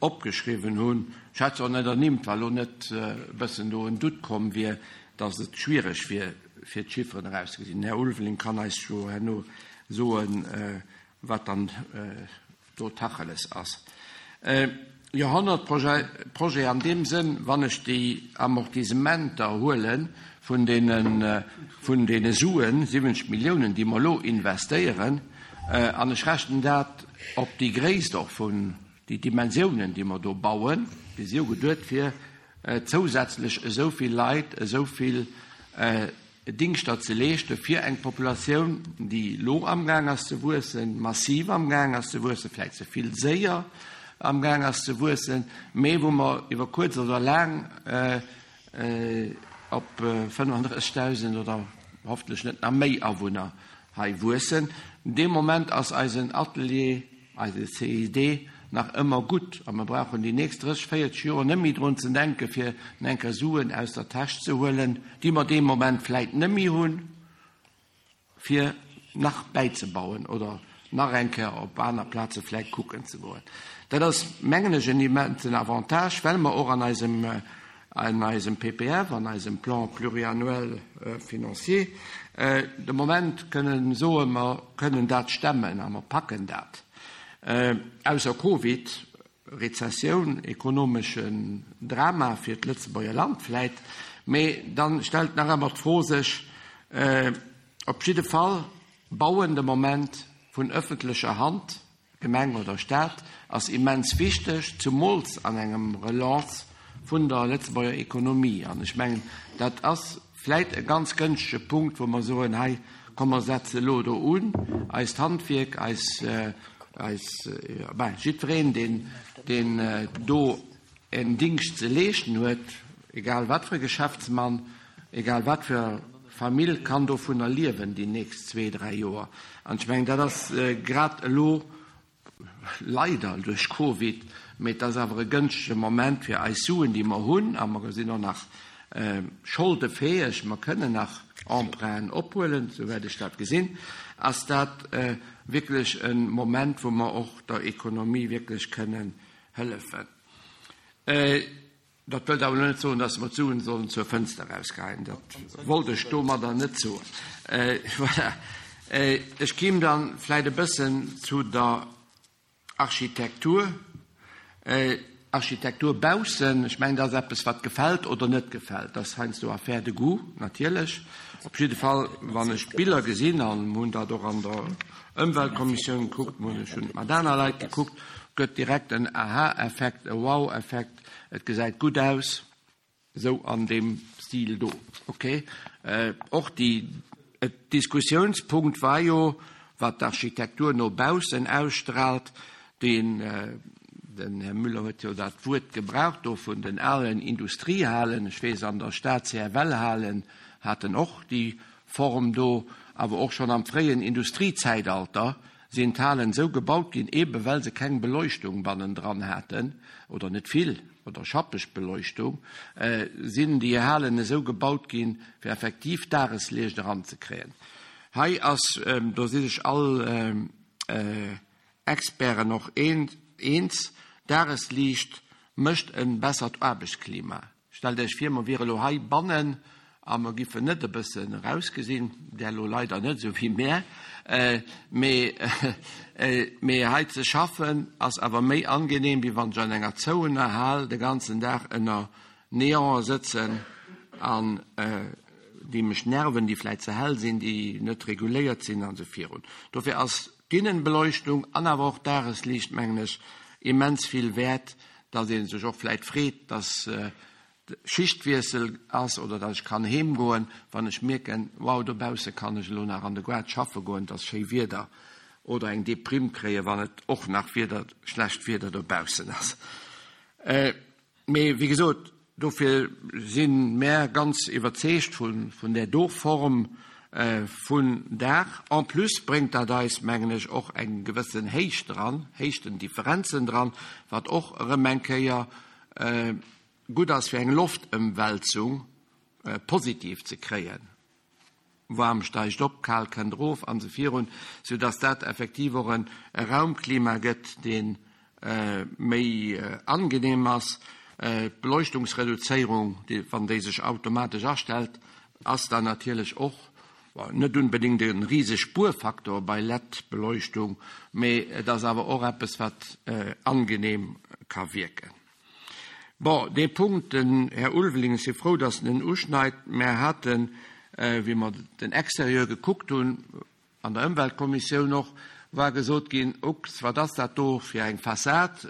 opgeschriwwen hunn. Ech hätt se och net ernimmt, wa lo net e bëssen do en Doute komm wier, datt et schwiereg wier, fir d'Chifferen erauszegesinn. Den Här Ulveling kann eis jo herno soen, wat dann do Tacheles ass. Joerhonnertprojet an deem Sënn, wann ech déi Amortisementer huele vun deene, vun deene Suen, 70 Milliounen, déi mer elo investéieren, an ech rechnen dat op déi Gréisst och vun déi Dimensiounen, déi mer do bauen, déi si jo geduet fir zousätzlech esou vill Leit, esou vill Dingschter ze leeschte fir eng Populatioun, déi elo amgaang ass ze wuessen, massiv amgaang ass ze wuessen, vläicht ze vill séier amgaang ass ze wuessen, mee wou mer iwwer kuerz oder laang op 35.000 oder hoffentlech net nach méi Awunner hei wuessen. Dee Moment ass eisen Atelier Eise CID nach ëmmer gutt a mer brauchen déi nächst 30, 40 Joer net méi drun ze denken, fir eng Kéier Suen aus der Täsch ze huelen, déi mer dee Moment vläit net méi hunn, fir nach bäizebauen oder nach eng Kéier op aner Plaze vläit kucken ze goen. Dat ass, mengen ech, en immensen Avantage, well mer och an eisem, an eisem PPF, an eisem Plan pluriannuel financier, de Moment kënnen soen, mer kënnen dat stemmen a mer packen dat. Ausser Covid, Rezessioun, ekonomeschen Drama fir d'Lëtzebuerger Land vläit, mee dann stellt nach ëmmer d'Fro sech, op jidde Fall bauen de Moment vun ëffentlecher Hand, Gemeng oder Staat, ass immens wichteg, zumools an engem Relance vun der Lëtzebuerger Ekonomie. An ech mengen, dat ass vläit e ganz gënschtege Punkt, wou mer soen, hei Komm mer setze elo do un, eist Handwierk, eis, eis, ben, jiddwereen, deen, deen do en Dingscht ze leeschten huet, egal wat fir e Geschäftsmann, egal wat fir Famill, kann dovunner liewen déi nächst zwee, dräi Joer. An ech mengen, dat ass grad elo leider duerch Covid, mee et ass awer e gënschtege Moment fir eis Suen, déi mer hunn, a mer sinn och nach scholdefäeg, mer kënnen nach Emprunten ophuelen, souwäit ech dat gesinn, ass dat wierklech e Moment, wou mer och der Ekonomie wierklech kënnen hëllefen. Dat wëllt awer elo net soen, dass mer d'Suen sollen zur Fënster erausgeheien. Dat wollt ech domadder net soen. Voilà. Ech kéim dann vläicht e bëssen zu der Architektur. Architektur baussen, ech mengen, dat ass eppes, wat gefält oder net gefält. Dat ass heiansdo Affaire de goût, natierlech. Op jidde Fall, wann ech d'Biller gesinn, an mer hunn dat och an der Ëmweltkommissioun gekuckt, mer hunn, ech hunn et mat aner Leit gekuckt, gëtt direkt en Aha-Effekt, e Wow-Effekt. Et gesäit gutt aus, esou an deem Stil do. Ok. Och déi, et Diskussiounspunkt war jo, wat d'Architektur no baussen ausstrahlt. Deen, den Här Müller huet jo dat Wuert gebraucht do vun den alen Industriehalen. Ech weess, an der Stad CFL-Halen haten och déi Form do, awer och schonn am fréien Industriezäitalter sinn d'Halen esou gebaut ginn, eebe well se keng Beleuchtung bannendran haten, oder net vill, oder schappeg Beleuchtung, sinn déi Halen esou gebaut ginn, fir effektiv Dagesliicht eranzekréien. Hei ass, do si sech all Experten och eens, Dagesliicht mécht e bessert Aarbechtsklima. Stellt Iech vir, mer wiere lo hei bannen a mer giffen net e bëssen erausgesinn, där lo leider net esou wéi mär, mee mee hei ze schaffen ass awer méi angenehm, wéi wann ech an enger zouener Hal de ganzen Dag ënner Neonen sëtzen an déi mech nerven, déi vläit ze hell sinn, déi net reguléiert sinn an esou virun. Dofir ass d'Innenbeleuchtung an awer och d'Dagesliicht, mengen ech, immens vill wäert, dass ee sech och vläit freet, dass Schichtwiessel ass oder dass ech kann heem goen, wann ech mierken, wow, dobausse kann ech elo nach an de Goart schaffe goen, et ass schéi Wieder, oder eng Deprimm kréien, wann et och nach Wieder, schlecht Wieder dobaussen ass. Mee wéi gesot, dofir si mär ganz iwwerzeegt vun där do Form vun Daach. En plus bréngt dat eis, mengen ech, och eng gewëssen Héicht dran, Héichtendifferenzen dran, wat och erëm eng Kéier gutt ass fir eng Loftëmwälzung positiv ze kréien. Waarm steigt op, kal kënnt erof an esou virun, sou dass dat effektiv och e Raumklima gëtt, dee méi angenehm ass. D'Beleuchtungsreduzéierung, wann déi sech automatesch astellt, ass dann natierlech och net unbedéngt e rise Spuerfaktor bei LED-Beleuchtung, mee et ass awer och eppes, wat angenehm ka wierken. Bon, dee Punkt, den Här Ulveling, ech si frou, datt en en uschneit, mär haten, wéi mer den Exterieur gekuckt hunn, an der Ëmweltkommissioun och, war gesot ginn, Ups, wat ass dat do fir eng Fassad?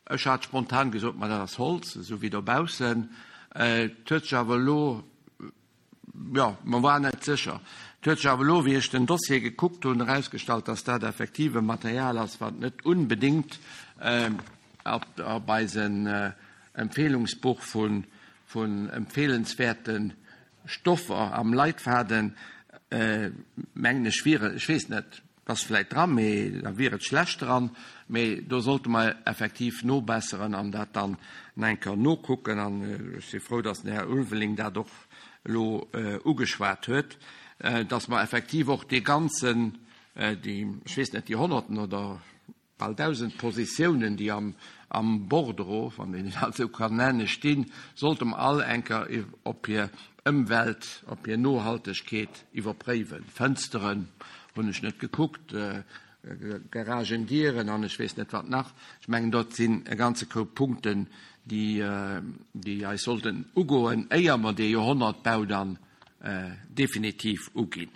Ech hat spontan gesot, Ma dat ass Holz, esou wéi dobaussen. Et huet sech awer elo Jo, mer waren net sécher. Et huet sech awer elo, wéi ech den Dossier gekuckt hunn, erausgestallt, dass dat effektiv e Material ass, wat net unbedéngt op eisen Empfehlungsbuch vun empfehlenswäerte Stoffer am Leitfaden, mengen ech, wier. Ech weess net. Ass vläit dran, mee da wier et schlecht dran. Mee do sollte mer effektiv nobesseren an dat dann nach eng Kéier nokucken. An ech si frou, dass den Här Ulveling dat och elo ugeschwat huet, dass mer effektiv och dee ganzen, déi, ech weess net, déi Honnerten oder Bal 1.000 Positiounen, déi am Bordereau, wann een dat esou kann nennen, stinn, sollte mer all eng Kéier op hir Ëmwelt, op hir Nohaltegkeet iwwerpréiwen. Fënsteren hunn ech net gekuckt, Garagendieren an ech weess net wat nach. Ech mengen, dort sinn e ganze Koup Punkten, déi eis sollten ugoen, éier mer dee Joerhonnertbau dann definitiv uginn.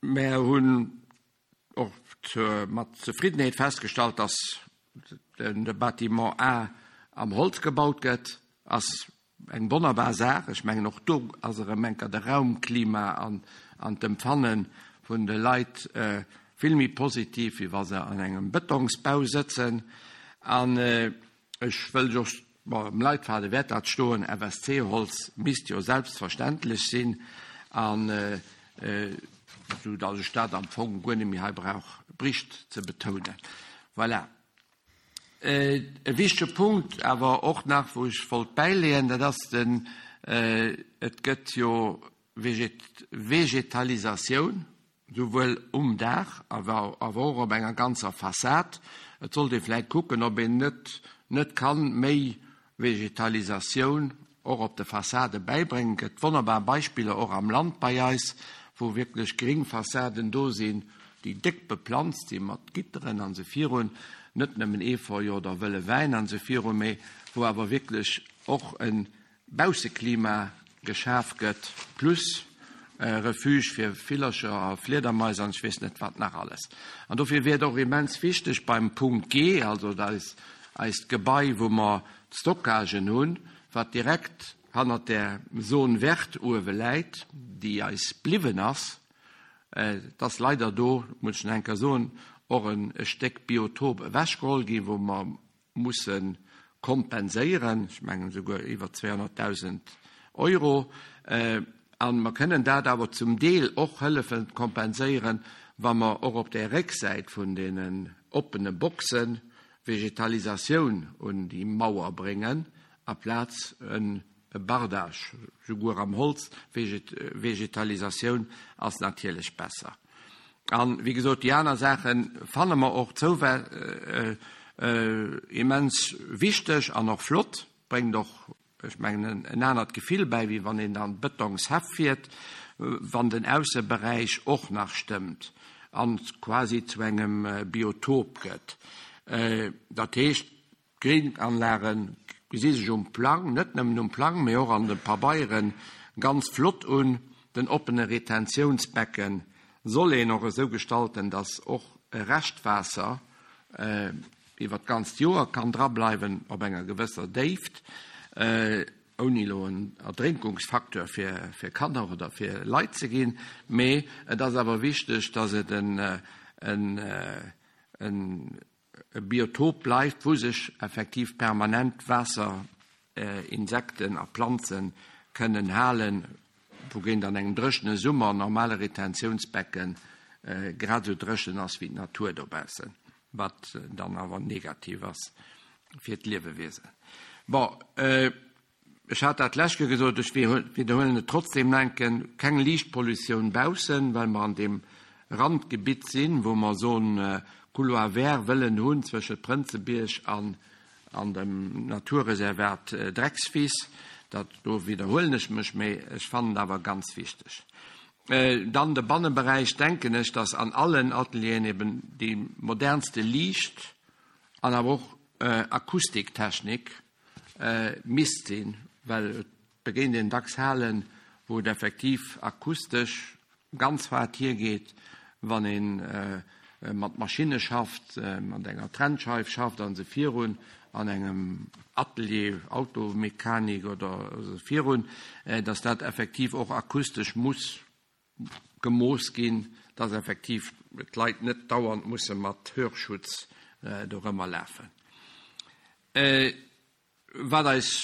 Mär hunn och mat Zefriddenheet festgestallt, dass de Bâtiment A am Holz gebaut gëtt. Ass eng wonnerbar Saach. Ech mengen, och do ass erëm enker de Raumklima an an d'Empfanne vun de Leit vill méi positiv, wéi wa se an engem Bëtongsbau sëtzen. An ech wëll just, bon, am Leitfaden wäert dat stoen, FSC-Holz misst jo selbstverständlech sinn, an esou datt ech dat am Fong guer net méi hei brauch bricht ze betounen. Voilà. E wichtege Punkt awer och nach, wou ech wollt bäileeën, dat ass den, et gëtt jo Vegetalisatioun, souwuel um Daach awer och op enger ganzer Fassad. Et sollt ee vläicht kucken, ob een net net kann méi Vegetalisatioun och op de Fassade bäibréngen. Et gëtt wonnerbar Beispiller och am Land bei eis, wou wierklech gréng Fassaden do sinn, déi déck beplanzt sinn mat Gitteren an esou virun, net nëmmen Efeu oder wëlle Wäin an esou virun, mee wou awer wierklech och e Bausseklima geschaf gëtt, plus Refuge fir Villercher a Fliedermais an ech weess net wat nach alles. An dofir wier et och immens wichteg beim Punkt G, also eis, eist Gebai, wou mer d'Stockagen hunn, wat direkt hannert där Zone verte uewe läit, déi eis bliwwen ass, et ass leider do, muss ech nach eng Kéier soen, och e Stéck Biotop ewechgeholl ginn, wou mer musse kompenséieren, ech mengen esouguer iwwer 200.000 Euro. A mer kënnen dat awer zum Deel och hëllefen kompenséieren, wa mer och op där Récksäit vun deenen oppene Boxe Vegetalisatioun un déi Mauer bréngen, aplaz e Bardage, souguer am Holz. Vegetalisatioun ass natierlech besser. An, wéi gesot, déi aner Saache fanne mer och immens wichteg an och flott, bréngt och, ech mengen, en anert Gefill bäi, wéi wann een an Bëtongshäff fiert, wann den Ausseberäich och nach stëmmt an quasi zu engem Biotop gëtt. Dat heescht, D'Grénanlage gesi sech um Plang, net nëmmen um Plang, mee och an de Pabeiere ganz flott un. Den oppene Retentiounsbecke soll een och esou gestalten, datt och Reschtwaasser iwwer d'ganzt Joer kann drableiwen op enger gewësser Déift, ouni elo en Erdrénkungsfacteur fir Kanner oder fir Leit ze ginn. Mee et ass awer wichteg, datt et en e Biotop bleift, wou sech effektiv permanent Waasser, Insekten a Planze kënnen halen, wougéint an engem dréchene Summer en normale Retentiounsbecke grad esou dréchen ass wéi d'Natur dobaussen, wat dann awer negativ ass fir d'Liewewiesen. Bon. Ech hat dat d'lescht Kéier gesot, ech widderhuelen et trotzdem nach eng Kéier, Keng Liichtpollutioun baussen, well mer an deem Randgebitt sinn, wou mer esou e Couloir vert wëllen hunn zwëschent Prënzebierg an an dem Naturreservat Dreckswiss. Dat, do widderhuelen ech mech, mee ech fannen et awer ganz wichteg. Dann de Banneberäich, denken ech, dass an allen Atelieren eben déi modernste Liicht an awer och Akustiktechnik misst sinn, well et begéint een dacks Halen, wou et effektiv akustesch ganz haart hiergeet, wann ee mat Maschinne schafft, mat enger Trennscheif schafft a sou virun, an engem Atelier, Automechanik oder esou virun, datt dat effektiv och akustesch muss gemooss ginn, datt effektiv d'Leit net dauernd musse mat Hörschutz dorëmmer lafen. Wat eis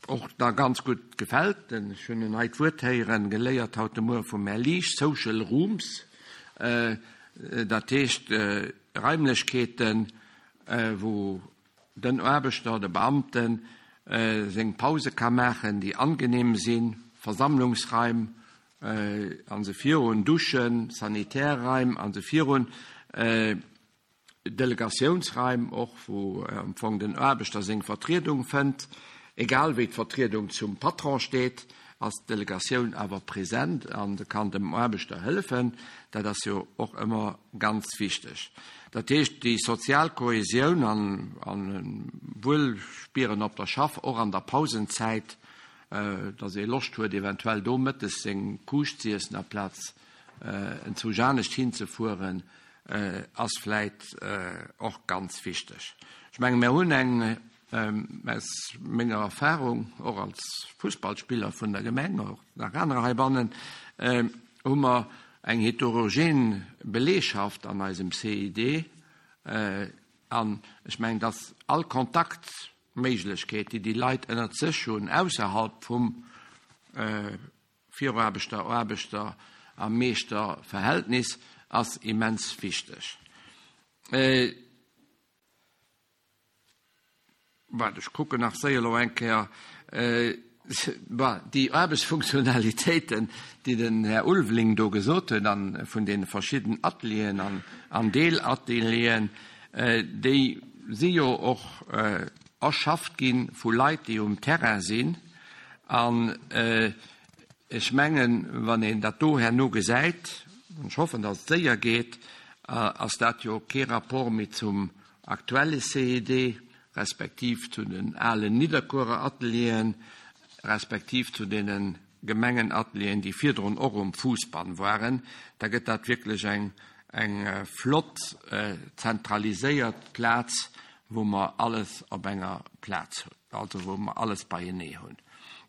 och da ganz gutt gefält, ech hunn en neit Wuert héieren, geléiert haut de Muere vum Här Liesch, Social Rooms, dat heescht Raimlechkeeten, wou den Aarbechter, de Beamten, seng Pause ka maachen, déi angenehm sinn, Versammlungsraim an esou virun, Duschen, Sanitärraim an esou virun, Delegatiounsraim och, wou am Fong den Aarbechter seng Vertriedung fënnt. Egal wéi d'Vertriedung zum Patron steet, ass d'Delegatioun awer present an kann dem Aarbechter hëllefen. Dat ass jo och ëmmer ganz wichteg. Dat heescht, déi sozial Kohesioun an e Wuelspieren op der Schaff, och an der Pausenzäit, datt ee Loscht huet, eventuell do mëttes seng Kuuscht z'iessen aplaz enzwousch anescht hinzefueren, ass vläit och ganz wichteg. Ech menge mir hunn eng. Aus menger Erfahrung, och als Fussballspiller vun der Gemeng, och nach anerer heibannen, hu mer eng heterogen Belegschaft an eisem CID. An ech mengen, dass all Kontaktméiglechkeet, déi déi Leit ënnert sech hunn, ausserhalb vum Viraarbechter, Aarbechter a Meeschterverhältnis, ass immens wichteg. Waart, ech kucken nach séier elo eng Kéier. Bon, déi Aarbechtsfunktionalitéiten, déi den Här Ulveling do gesot huet, a vun deene verschidden Atelieren an, an Deelatelieren, déi si jo och erschafft gi vu Leit, déi um Terrain sinn. An ech mengen, wann een dat do herno gesäit, an ech hoffen, datt et séier geet, ass dat jo kee Rapport méi zum aktuelle CED, respektiv zu den alen Nidderkuerer Atelieren, respektiv zu deene Gemengenatelieren, déi virdrun och um Fousbann waren, da gëtt dat wierklech eng, eng flott zentraliséiert Plaz, wou mer alles op enger Plaz hunn, also wou mer alles beienee hunn.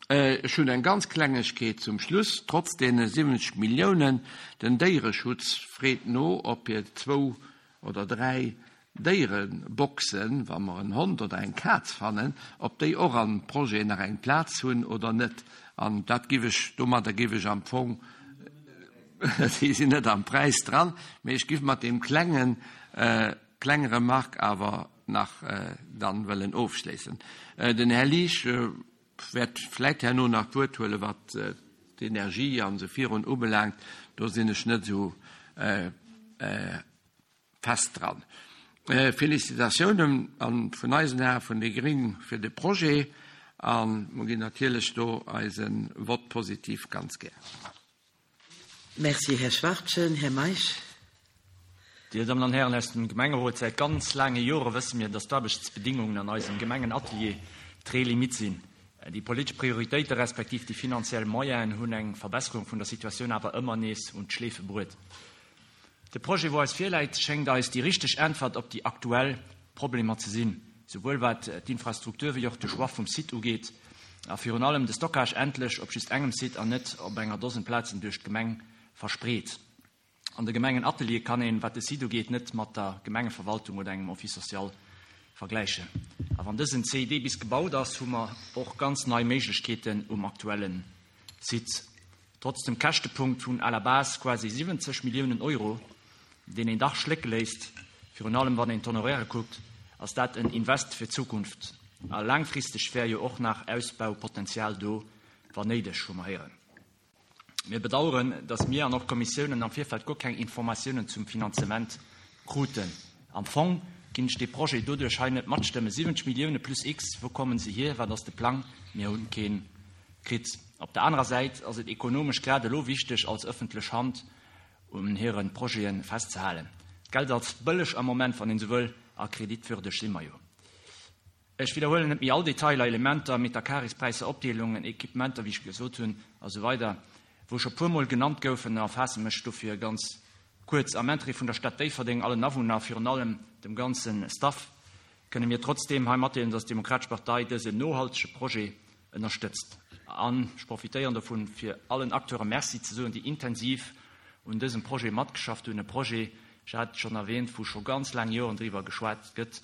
Ech hunn eng ganz Klengegkeet zum Schluss, Trotz deene 70 Milliounen, den Déiereschutz freet no, ob hir zwou oder 3 Déiereboxen, wa mer en Hond oder eng Kaz fannen, ob déi och am Projet nach eng Plaz hunn oder net. An dat giff ech, domadder giff ech am Fong, déi sinn net am Präis dran, mee ech giff mat deem klengen, kleng Remarque awer nach dann wëllen ofschléissen. Den Här Liesch wäert vläit herno nach d'Wuert huelen, wat d'Energie an esou virun ubelaangt. Do sinn ech net esou fest dran. Félicitatiounen an vun eisen Ae vun déi gring fir de Projet a mer ginn natierlech do eise Vote positif ganz gär. Merci, Här Schwachtgen. Här Meisch. Dir Dammen an Hären aus dem Gemengerot, säit ganz laange Jore wësse mir, dass d'Aarbechtsbedingungen an eisem Gemengenatelier très limite sinn. Déi politesch Prioritéite respektiv déi finanziell Moyenen hunn eng Verbesserung vun der Situatioun awer ëmmer nees un d'Schleefe bruet. De Projet, wou eis virläit, schéngt eis déi richteg Äntwert op déi aktuell Problemer ze sinn, souwuel wat d'Infrastruktur wéi och de Choix vum Site ugeet, a virun allem de Stockage endlech op just engem Site an net op enger Dosen Plazen duerch d'Gemeng verspreet. An de Gemengenatelier kann een, wat de Site ugeet, net mat der Gemengeverwaltung oder engem Office social vergläichen. A wann dësen CID bis gebaut ass, hu mer och ganz nei Méiglechkeeten um aktuelle Site. Trotz dem Käschtepunkt vun à la base quasi 70 Milliounen Euro, deen een dach schlécke léisst, virun allem wann een d'Honoraire kuckt, ass dat en Invest fir d'Zukunft. A laangfristeg wär jo och nach Ausbaupotenzial do, wann néideg, hu mer héieren. Mir bedauern, dass mir an och d'Kommissiounen am Virfeld guer keng Informatiounen zum Finanzement kruten. Am Fong ginn ech dee Projet doduerch hei net matstëmmen. 70 Millioune plus X, wou kommen se hier, wat ass de Plang? Mir hunn keen kritt. Op der anerer Säit ass et ekonomesch grad elo wichteg, als ëffentlech Hand un hire Projete festzehalen. D'Geld ass bëlleg am Moment, wann een esou wëll, a kreditwürdeg si mer jo. Ech widderhuelen net méi all Detailer, Elementer, Metercarréspräisser, Opdeelungen, Equipementer, wéi ech gesot hunn, a sou weider, wou scho puermol genannt goufen, a faasse mech dofir ganz kuerz. Am Interêt vun der Stad Déifferdeng, allen Awunner, virun allem dem ganze Staff, kënne mir trotzdeem hei matdeelen, dass d'Demokratesch Partei dësen nohaltege Projet ënnerstëtzt. An ech profitéieren dovun, fir allen Acteure Merci ze soen, déi intensiv un dësem Projet matgeschafft hunn, e Projet, ech hat et schonn erwähnt, wou scho ganz laang Joren driwwer geschwat gëtt,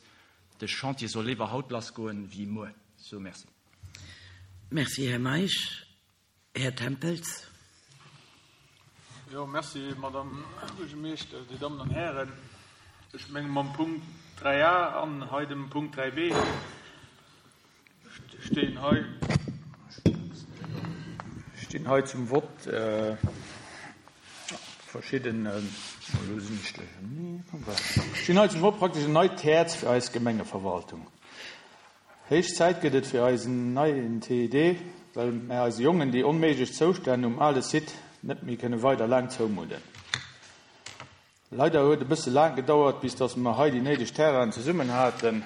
De Chantier soll léiwer haut lassgoen wéi muer. Sou, merci. Merci, Här Meisch. Här Tempels. Jo, merci, Madame Buergermeeschter, Dir Dammen an Hären. Ech menge mam Punkt 3a an hei dem Punkt 3b stinn hei, stinn hei zum Vott verschidden, elo sinn ech duercherneen, stinn hei zum Vott praktesch en neit Häerz fir eis Gemengeverwaltung. Héich Zäit gëtt et fir eisen neien TID, well mär eise Jongen déi onméiglech Zoustänn um ale Site net méi kënne weider laang zoumudden. Leider huet e bësse laang gedauert, bis dass mer hei déi néideg Terrainen zesummen haten.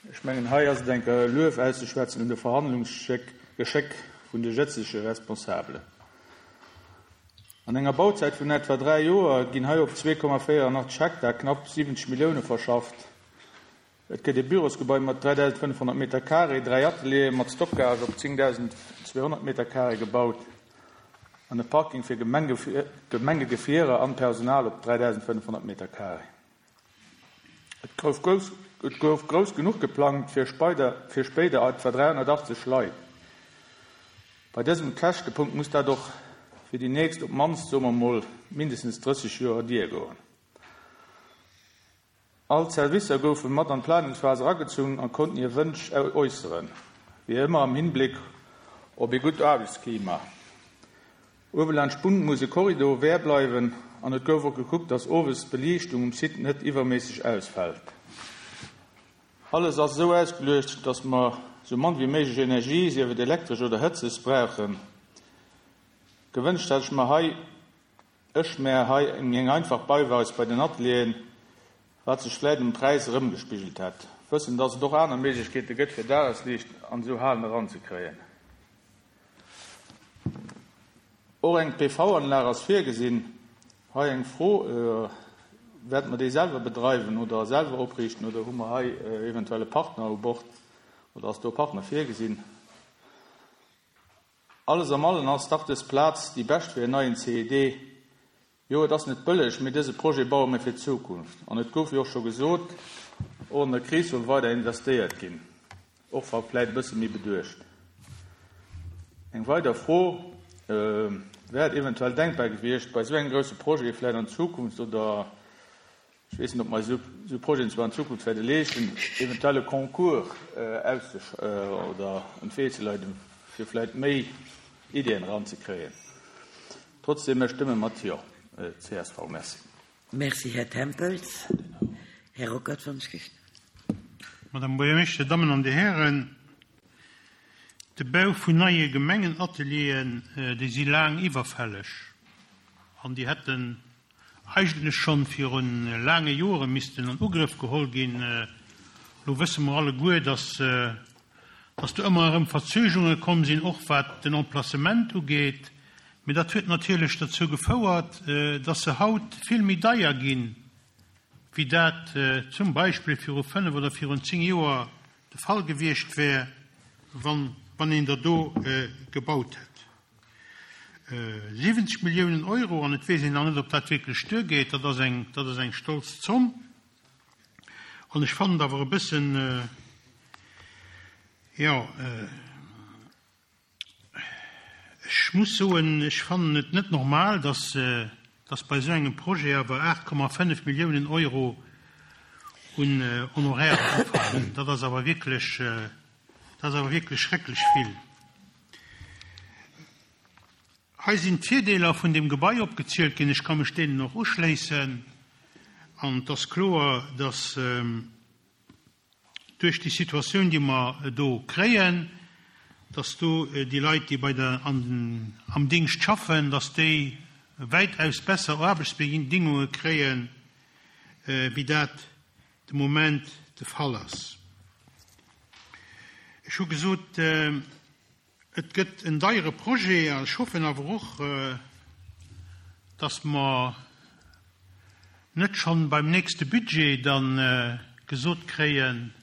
Ech mengen, hei ass et eng Kéier e Luef auszeschwätzen un de Verhandlungsgeschéck vun de jëtzege Responsabelen. An enger Bauzäit vun etwa 3 Joer ginn hei op 2,84 Hektar knapp 70 Millioune verschafft. Et gëtt ee Bürosgebai mat 3.500 Meter carré, 3 Ateliere mat Stockage op 10.200 Meter carré gebaut an e Parking fir Gemengegefierer an Personal op 3.500 Meter carré. Et gouf grouss, et gouf grouss genuch geplangt fir speider, fir spéider etwa 380 Leit. Bei dësem Käschtepunkt muss dat och fir déi nächst op d'mannst, soe mer mol, mindestens 30 Joer diergoen. All d'Servicer goufe mat an d'Planungsphas eragezunn a konnten hir Wënsch äusseren, wéi ëmmer am Hinbléck op ee gutt Aarbechtsklima. Uewe laanscht d'Bunn muss e Korridor ouvert bleiwen an et gouf och gekuckt, dass owes d'Beliichtung um Site net iwwerméisseg ausfält. Alles ass esou ausgeluecht, dass mer esou mann wéi méiglech Energie, sief et elektresch oder Hëtzes, brauchen. Gewënscht hätt ech mer hei Ech mär hei eng einfach Beiweis bei den Atelieren, wat sech vläit um Präis erëmgespigelt hätt. Wëssen, dass et och aner Méiglechkeete gëtt fir Dagesliicht an esou Halen eranzekréien. Och eng PV-Anlag ass virgesinn. Hei eng Fro, Wäerte mer déi selwer bedreiwen oder selwer opriichten oder hu mer hei eventuell e Partner u Bord oder ass do e Partner virgesinn? Alles am allen ass dach dës Plaz déi bescht fir en neien CED. Jo, et ass net bëlleg, mee dëse Projet baue mir fir d'Zukunft. An et gouf jo och scho gesot, och an der Kris soll weider investéiert ginn, och wa vläit e bësse méi beduecht. Eng weider Fro, Wär et eventuell denkbar gewiescht, bei esou engem grousse Projet vläit an Zukunft oder Ech weess net, ob mer eis esou Projeten zwar an Zukunft wäerte leeschten, eventuell e Concours auszesch oder an d'Wee ze leiden, fir vläicht méi Ideeën eranzekréien. Trotzdem, mir stëmme mat Jo, csv. Merci. Merci, Här Tempels. Här Ruckert von Schicht. Madame Buergermeeschter, Dir Dammen an Dir Hären, de Bau vun neie Gemengenatelieren, déi si laang iwwerfälleg an déi hätten eigentlech schonn viru laange Jore missten an Ugrëff geholl ginn. Elo wësse mer alleguer, dass, dass do ëmmer erëm Verzögerunge komm sinn, och wat den Emplacement ugeet. Mee dat huet natierlech derzou gefouert, dass se haut vill méi deier ginn, wéi dat zum Beispill viru fënnf oder virun zéng Joer de Fall gewiescht wär, wann, wann een der do gebaut hätt. 70 Milliounen Euro, an et weess een nach net, ob dat wierklech duergeet, dat ass eng, dat ass eng stolz Zomm. An ech fannen et awer e bëssen, jo, ech muss soen, ech fannen et net normal, dass, dass bei esou engem Projet awer 8,5 Milliounen Euro un Honorairen ufalen. Dat ass awer wierklech, dat ass awer wierklech schrecklech vill. Hei sinn d'Virdeeler vun deem Gebai opgezielt ginn. Ech ka mech deenen och uschléissen. An et ass kloer, dass duerch déi Situatioun, déi mer do kréien, dass do déi Leit, déi bei der, an, am Dingscht schaffen, dass déi wäitaus besser Aarbechtsbedingunge kréien, wéi dat de Moment de Fall ass. Ech hu gesot, et gëtt en deiere Projet a ech hoffen awer och, dass mer net schonn beim nächste Budget da gesot kréien,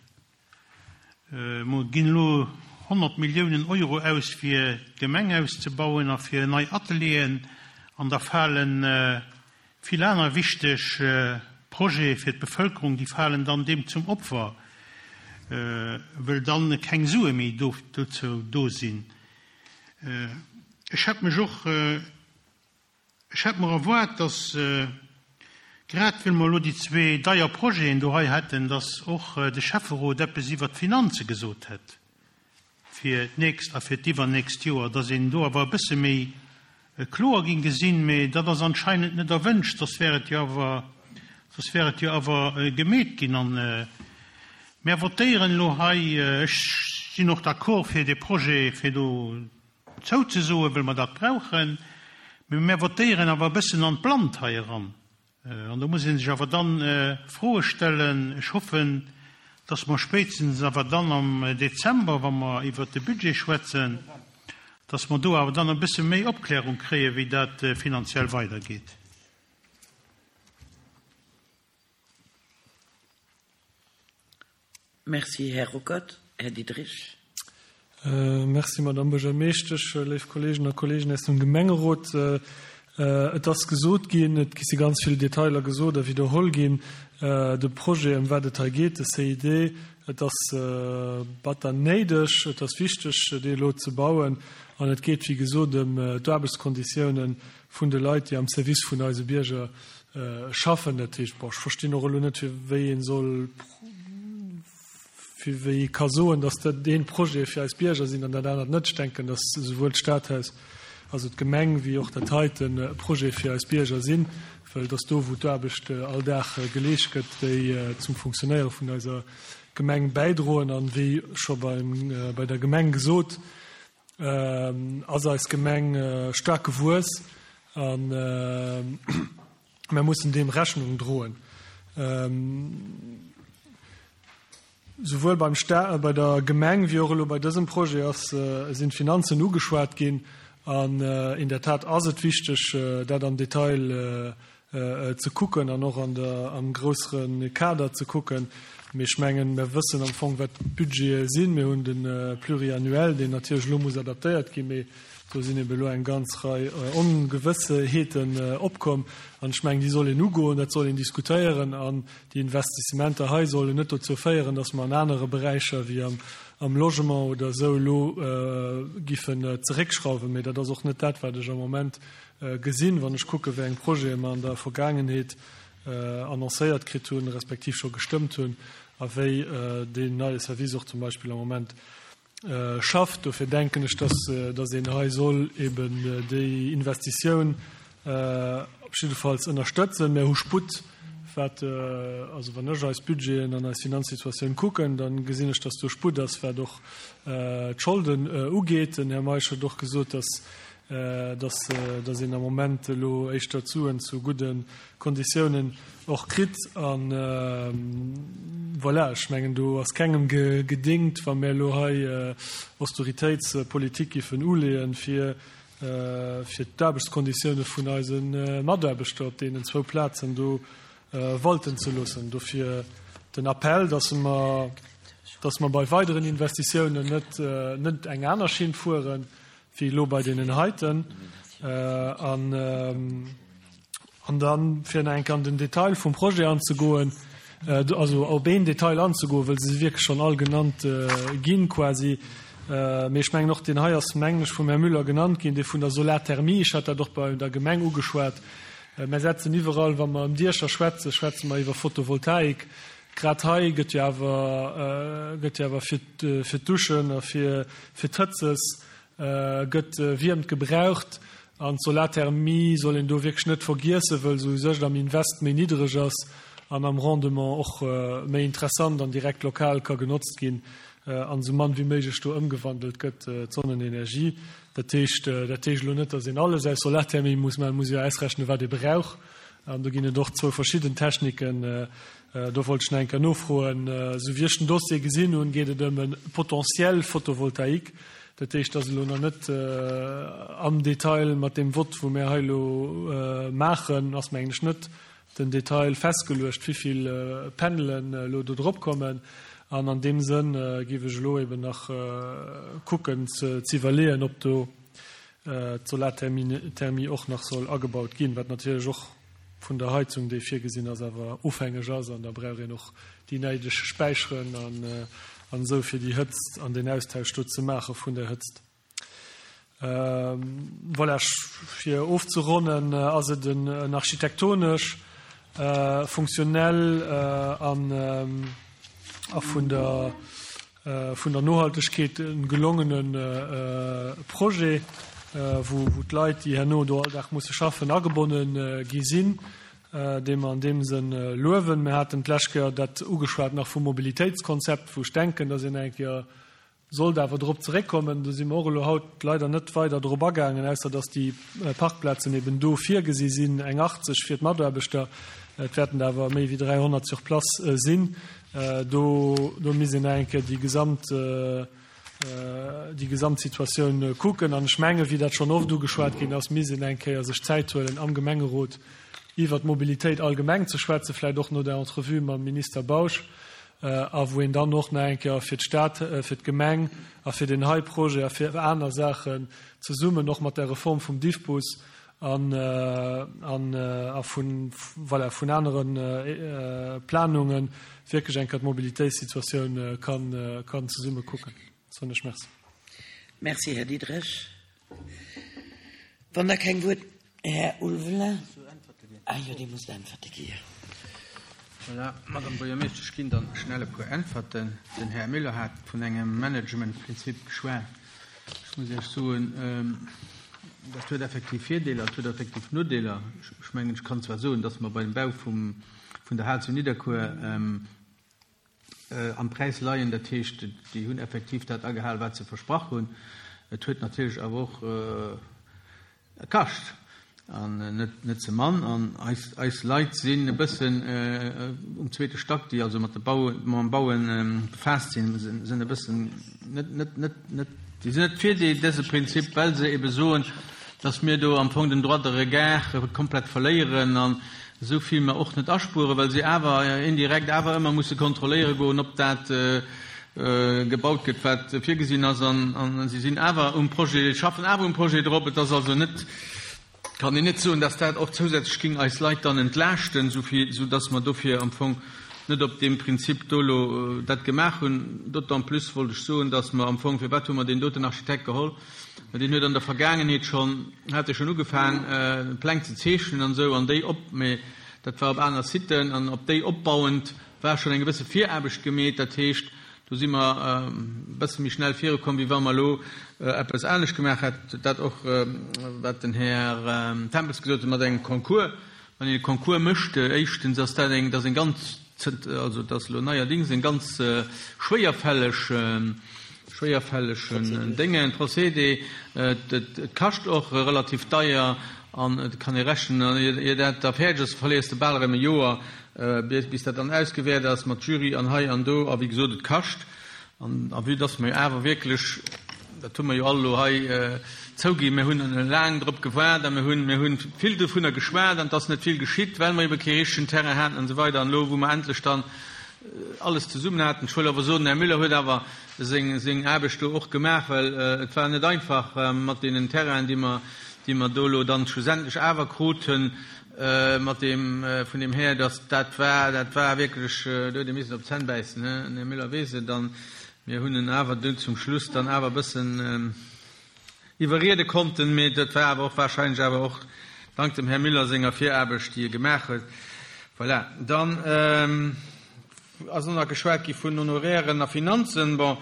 mer ginn elo 100 Milliounen Euro aus fir d'Gemeng auszebauen a fir nei Atelieren an da falen Vill aner wichteg Projete fir d'Bevëlkerung, déi falen dann deem zum Opfer, wëll dann keng Sue méi dozou do sinn. Ech hätt mech och, ech hätt mer erwaart, dass, grad wëll mer elo déi zwee deier Projeten do hei hätten, dass och de Schäfferot eppes iwwert d'Finanze gesot hätt. fir d'nächst a fir d'iwwernächst Joer, dass een do awer e bësse méi kloer ging gesinn, mee dat ass anscheinend net erwünscht, soss wär et jo awer, soss wär et jo awer gemeet ginn. An mär votéieren elo hei, ech sinn och d'accord fir dee Projet, fir do zouzesoen, well mer dat brauchen, mee mär votéieren awer e bëssen an d'Blannt hei eran. An do muss ee sech awer dann Froe stellen. Ech hoffen, dass mer spéitstens awer dann am Dezember, wa mer iwwert de Budget schwätzen, dass mer do awer dann e bësse méi Opklärung kréien, wéi dat finanziell weidergeet. Merci, Här Ruckert. Här Diderich. Merci, Madamm Buergermeeschtesch, léif Kolleegen a Kolleegen aus dem Gemengerot. Et ass gesot ginn, et si ganz vill Detailer gesot a widderholl ginn, de Projet, ëm wat et hei geet, de CID, et ass batter néideg, et ass wichteg, dee elo ze bauen. An et geet, wéi gesot, ëm d'Aarbechtskonditiounen vun de Leit, déi am Service vun eise Bierger schaffen. Dat heescht, bon, ech verstinn och elo net, fir wéi ee soll, fir wéi ee ka soen, datt dat dee Projet fir eis Bierger sinn an dat anert net. Ech denken, datt esouwuel d'Stadhaus, also d'Gemeng, wéi och dat heiten e Projet fir eis Bierger sinn, well et ass do, wou d'Aarbecht all Dag geleescht gëtt, déi zum Funktionéiere vun eiser Gemeng bäidroen. An wéi scho beim, bei der Gemeng gesot, ass eis Gemeng staark gewuess a mir mussen deem Rechnung droen. Souwuel beim Sta bei der Gemeng wéi och elo bei dësem Projet ass, sinn d'Finanzen ugeschwat ginn an in der Tat ass et wichteg, dat am Detail ze kucken an och an der, am grössere Kader ze kucken. Mee ech mengen, mir wëssen am Fong, wat d'Budgete sinn. Mir hunn de Pluriannuel, deen natierlech elo muss adaptéiert ginn, mee do sinn ebe elo eng ganz Rei Ongewëssheeten opkomm. An ech mengen, déi soll een ugoen, dat soll een diskutéieren. An déi Investissementer hei sollen net dozou féieren, dass mer an anere Beräicher wéi am, am Logement oder esou elo giffen zeréckschrauwen. Mee dat ass och net dat, wat ech am Moment gesinn, wann ech kucken, wéi eng Projete mer an der Vergaangenheet annoncéiert kritt hunn, respektiv scho gestëmmt hunn, a wéi deen neie Service och zum Beispill am Moment schafft. Dofir denken ech, dass, dass een hei soll eben déi Investitioun op jiddefalls ënnerstëtzen. Mir hu Sputt, wat, also wann ech eis Budgeten an eis Finanzsituatioun kucken, da gesinn ech, dass do Sputt ass, wat och d'Scholden ugeet. Den Här Meisch huet och gesot, dass dass dass een am Moment elo éischter d'Suen zu gudde Konditiounen och kritt. An voilà, ech mengen, do ass kengem gedéngt, wa mir elo hei Austeritéitspolitik giffen uleeën, fir fir d'Aarbechtskonditioune vun eise Mataarbechter op deenen zwou Plazen do walten ze loossen. Dofir den Appell, dass mer dass mer bei weideren Investitiounen net net eng aner Schinn fueren, wéi elo bei deenen heiten. An, an dann, fir nach eng Kéier an den Detail vum Projet anzegoen, also op een Detail anzegoen, wëll se si wierklech schonn all genannt ginn quasi, mee ech mengen och deen hei ass, mengen ech, vum Här Müller genannt ginn, dee vun der Solarthermie. Ech hat dat och bei der Gemeng ugeschwat. Mer setzen iwwerall, wa mer ëm Diecher schwätzen, schwätze mer iwwer Photovoltaik. Grad hei gëtt jo awer, gëtt jo awer fir, fir d'Duschen a fir, fir d'Hëtzes gëtt Wiermt gebraucht. An d'Solarthermie soll een do wierklech net vergiessen, wëll se u sech am Invest méi niddreg ass an am Rendement och méi interessant an direkt lokal ka genotzt ginn an esou mann wéi méiglech do ëmgewandelt gëtt, d'Sonnenenergie. Dat heescht, dat heescht elo net, datt een alles aus Solarthermie muss maachen, et muss ee jo ausrechnen, wat ee brauch. An do ginn et och zwou verschidden Techniken. Do wollt ech nach eng Kéier nofroen. Esou wéi ech den Dossier gesinn hunn, geet et ëm e Potentiel photovoltaïque. Dat heescht, dass elo nach net am Detail mat deem Vott, wou mir hei elo maachen, ass mengen ech net den Detail festgeluecht, wéi vill Panelen elo do drop kommen. An an deem Sënn géif ech elo eben nach kucken ze iwwerleeën, ob do d'Solarthermie och nach soll agebaut ginn, wat natierlech och vun der Heizung, déi virgesinn ass, awer ofhängeg ass. An da brauch een och déi néideg Späicheren an esou, fir déi Hëtzt an deen Austausch do ze maache vun der Hëtzt. Voilà, fir ofzeronnen, ass et en architektonesch, funktionell an a vun der vun der Nohaltegkeet e gelongene Projet, wou d'Leit, déi herno do all Dag musse schaffen, agebonne gi sinn, dee mer an deem Sënn luewen. Mir haten d'lescht Kéier dat ugeschwat nach vum Mobilitéitskonzept, wou ech denken, dass een eng Kéier sollt awer drop zeréckkommen. Do si mer och elo haut leider net weider drop agaangen, ausser dass déi Parkplazen eben do virgesi sinn, eng 80 fir d'Mataarbechter. Et wäerten der awer méi wéi 300 sur place sinn. Do, do misst een nach eng Kéier déi gesamt, déi gesamt Situatioun kucken. An ech mengen, wéi dat schonn oft ugeschwat ginn ass, misst een eng Kéier sech Zäit huelen, am Gemengerot iwwert d'Mobilitéit allgemeng ze schwätzen, vläicht och no der Entrevue mam Minister Bausch. a wou een dann och nach eng Kéier fir d'Stad, fir d'Gemeng a fir deen hei Projet a fir aner Saachen zesummen och mat der Reform vum Diffbus an a vun, voilà, vun anere Planungen wierklech eng Kéier d'Mobilitéitssituatioun kann zesumme kucken. Soen ech Merci. Merci, Här Diderich. Wann da keng Wuert, Här Ulveling. Ah jo, Dir musst Äntwerte gi. Voilà, Madame Buergermeeschtesch, ech ginn dann schnell e puer Äntwerten. Den Här Müller hat vun engem Managementprinzip geschwat. Ech muss Iech soen, dat huet effektiv Virdeeler, et huet effektiv Nodeeler. Ech mengen, ech kann zwar soen, dass mer bei dem Bau vum, vun der Hal zu Nidderkuer am Präis leien, dat heescht, déi hunn effektiv dat agehal, wat se versprach hunn. Et huet natierlech awer och Kascht, an net ze mann. An eis Leit sinn e bëssen um zweete Stack, déi also mat de Bau, mam Baue befaasst sinn, sinn e bëssen net, net, net, net, déi sinn net fir déi, dëse Prinzip, well se ebe soen, datt mir do am Fong den Droit de regard komplett verléieren an esou vill mer och net aspueren, well se awer indirekt awer ëmmer musse kontrolléiere goen, ob dat gebaut gëtt, wat virgesinn ass, an si sinn awer um Projet, schaffen awer um Projet drop. Et ass also net, kann een net soen, dass dat och zousätzlech géing eis Leit dann entlaaschten, esou dass mer dofir am Fong net op deem Prinzip do elo dat gemaach hunn. D'autant plus wollt ech soen, dass mer am Fong, firwat hu mer deen doten Architekt geholl? Well deen huet an der Vergaangenheet schonn, hat e schonn ugefaang Pläng ze zeechnen an esou, an déi op, mä dat war op aner Siten, an op déi opbauend war schonn eng gewësse Viraarbecht gemeet. Dat heescht, do si mer e bësse méi schnell virukomm, wéi wa mer elo eppes anescht gemaach hätten. Dat och, wat den Här Tempels gesot huet mat engem Concours. Wann een e Concours mécht, éischtens ass dat eng, dat ass eng ganz, also dat ass elo neierdings eng ganz schwéierfälleg, schwéierfällegen Déngen, Procédé. Et kascht och relativ deier an et kann ee rechnen, ier dat da fäerdeg ass, verléiers de bal erëm e Joer. Bis dat dann ausgewäert ass mat Jury an hei an do, a wéi gesot, et kascht. An a vue dass mer jo awer wierklech, dat hu mer jo all elo hei zouginn, mir hunn laang drop gewaart a mir hunn, mir hunn vill dovunner geschwat an et ass net vill geschitt, well mer ebe kee richtegen Terrain haten an esou weider. An elo, wou mer endlech dann alles zesummen haten, ech wëll awer soen, den Här Müller huet awer seng, seng Aarbecht do och gemaach, well et war net einfach mat deenen Terrainen, déi mer, déi mer do elo dann schlussendlech awer kruten, Mat deem, vun deem Här, dass dat war, dat war wierklech, do huet ee missen op d'Zänn bäissen, he, den Här Müller weess et, an mir hunn en awer dunn zum Schluss dann awer e bëssen iwwerriede konnten, mee dat war awer och wahrscheinlech awer och dank dem Här Müller senger Viraarbecht, déi e gemaach huet. Voilà, dann. Ass och nach geschwat gi vun Honorairen a Finanzen. Bon,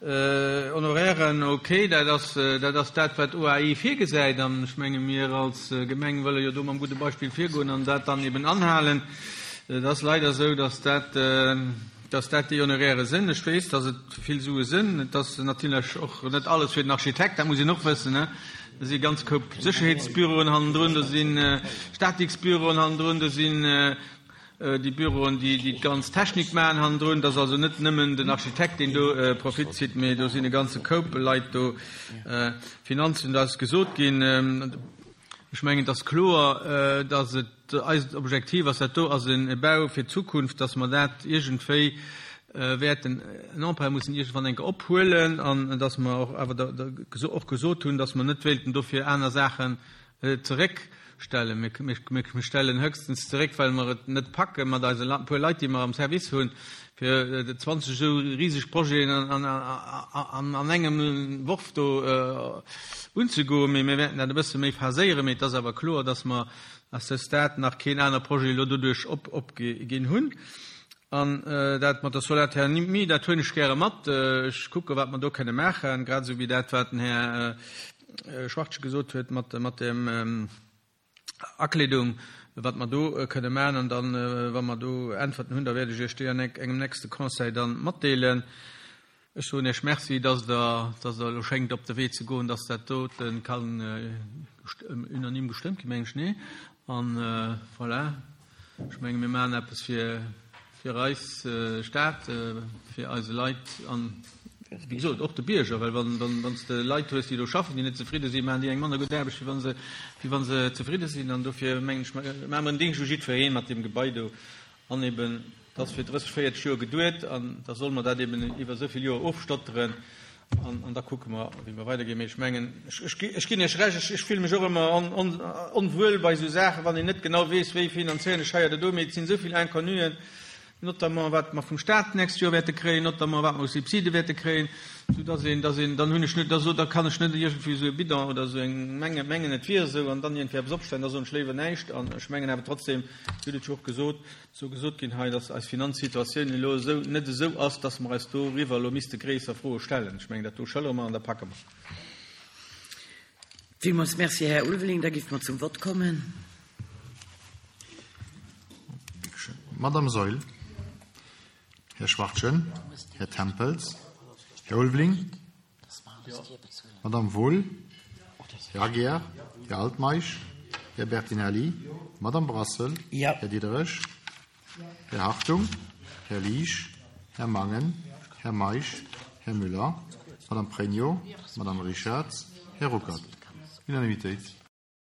Honorairen, okay, dat ass, dat ass dat, wat OAI virgesäit. An ech menge mir als Gemeng wëlle jo do mam gudde Beispill virgoen an dat dann eben anhalen. Et ass leider esou, dass dat, dass dat déi Honoraire sinn. Ech weess, dass et vill Sue sinn. Et ass natierlech och net alles fir den Architekt, dat muss een och wëssen. Do si ganz Koup Sécherheetsbüroen hannendrun, do si Statiksbüroen hannendrun, do sinn Déi Büroen, déi déi ganz Technik maachen hannendrun, dat ass also net nëmmen den Architekt, deen do Profit zitt, mee do sinn e ganze Koup Leit do. Finanzen, do ass gesot ginn, ech mengen, et ass kloer, datt et eist Objektiv ass, dat do ass e Bau fir d'Zukunft, datt mer dat iergendwéi wäerten en Emprunt mussen iergendwann eng Kéier ophuelen an datt mer och awer och gesot hunn, datt mer net wéilten dofir aner Saachen zeréckstellen. Mir stellen höchstens zeréck, well mer et net packe mat eise puer Leit, déi mer am Service hunn, fir 20 esou riseg Projeten an engem Worf do unzegoen. Mee mir wäerten dat e bësse méi phaséieren. Mee et ass awer kloer, dass mer à ce stade nach keen aner Projet elo doduerch opginn hunn. An dat mat der Solarthermie, dat huelen ech gäre mat. Ech kucke wat mer do kënne maachen, grad esou wéi dat, wat den Här Schwartje gesot huet mat dem Akleedung, wat mer do kënne maachen. An dann, wa mer do Äntwerten hunn, da wäert ech Iech déi an engem nächste Conseil dann matdeelen. Ech soen Iech Merci, dass Der, dass Der elo schéngt op de Wee ze goen, dass dat dote kann unanime gestëmmt ginn, mengen ech, nee? An voilà, ech menge mir maachen eppes fir, fir eis Stad, fir eise Leit an, wéi gesot, och de Bierger, well wann, wann, wann s de Leit hues, déi do schaffen, déi net zefridde sinn, maachen déi eng manner gutt Aarbecht, wéi wa se, wéi wa se zefridde sinn. An dofir mengen ech, maache mer en Déngscht u jiddweree mat deem Gebai do an eben. Dat ass fir 30, 40 Joer geduet an da solle mer dat eben iwwer esou vill Joer ofstotteren an, an da kucke mer, wéi mer weiderginn. Mee ech mengen, ech, ech, ech ginn Iech Recht, ech, ech fille mech och ëmmer on, on, onwuel bei esou Saachen, wann een net genau weess, wéi finanzéieren ech hei oder do. Mee et sinn esou vill Inconnuen, notamment wat mer vum Stat d'nächst Joer wäerte kréien, notamment wat mer u Subside wäerte kréien, soudass een, dass een, dann hunn ech net, da so, da kann ech net iergendwéi esou e Bidon oder esou eng menge, mengen et wier esou an dann iergendwéi eppes opstellen, da soen ech léiwer näischt. An ech mengen awer trotzdem, Dir hutt et jo och gesot, sou gesot ginn hei, dass eis Finanzsituatioun elo esou net esou ass, dass mer eis doriwwer elo misste gréisser Froe stellen. Ech mengen, dat do schëllere mer an da packe mer. Villmools Merci, Här Ulveling. Da géife mer zum Vott kommen. Madame Saeul, Här Schwachtgen, Här Tempels, Här Ulveling, Madame Wohl, Här Aguiar, Här Altmeisch, Här Bertinelli, Madame Brassel, Här Diderich, Här Hartung, Här Liesch, Här Mangen, Här Meisch, Här Müller, Madame Pregno, Madame Richarz, Här Ruckert. Unanimitéit.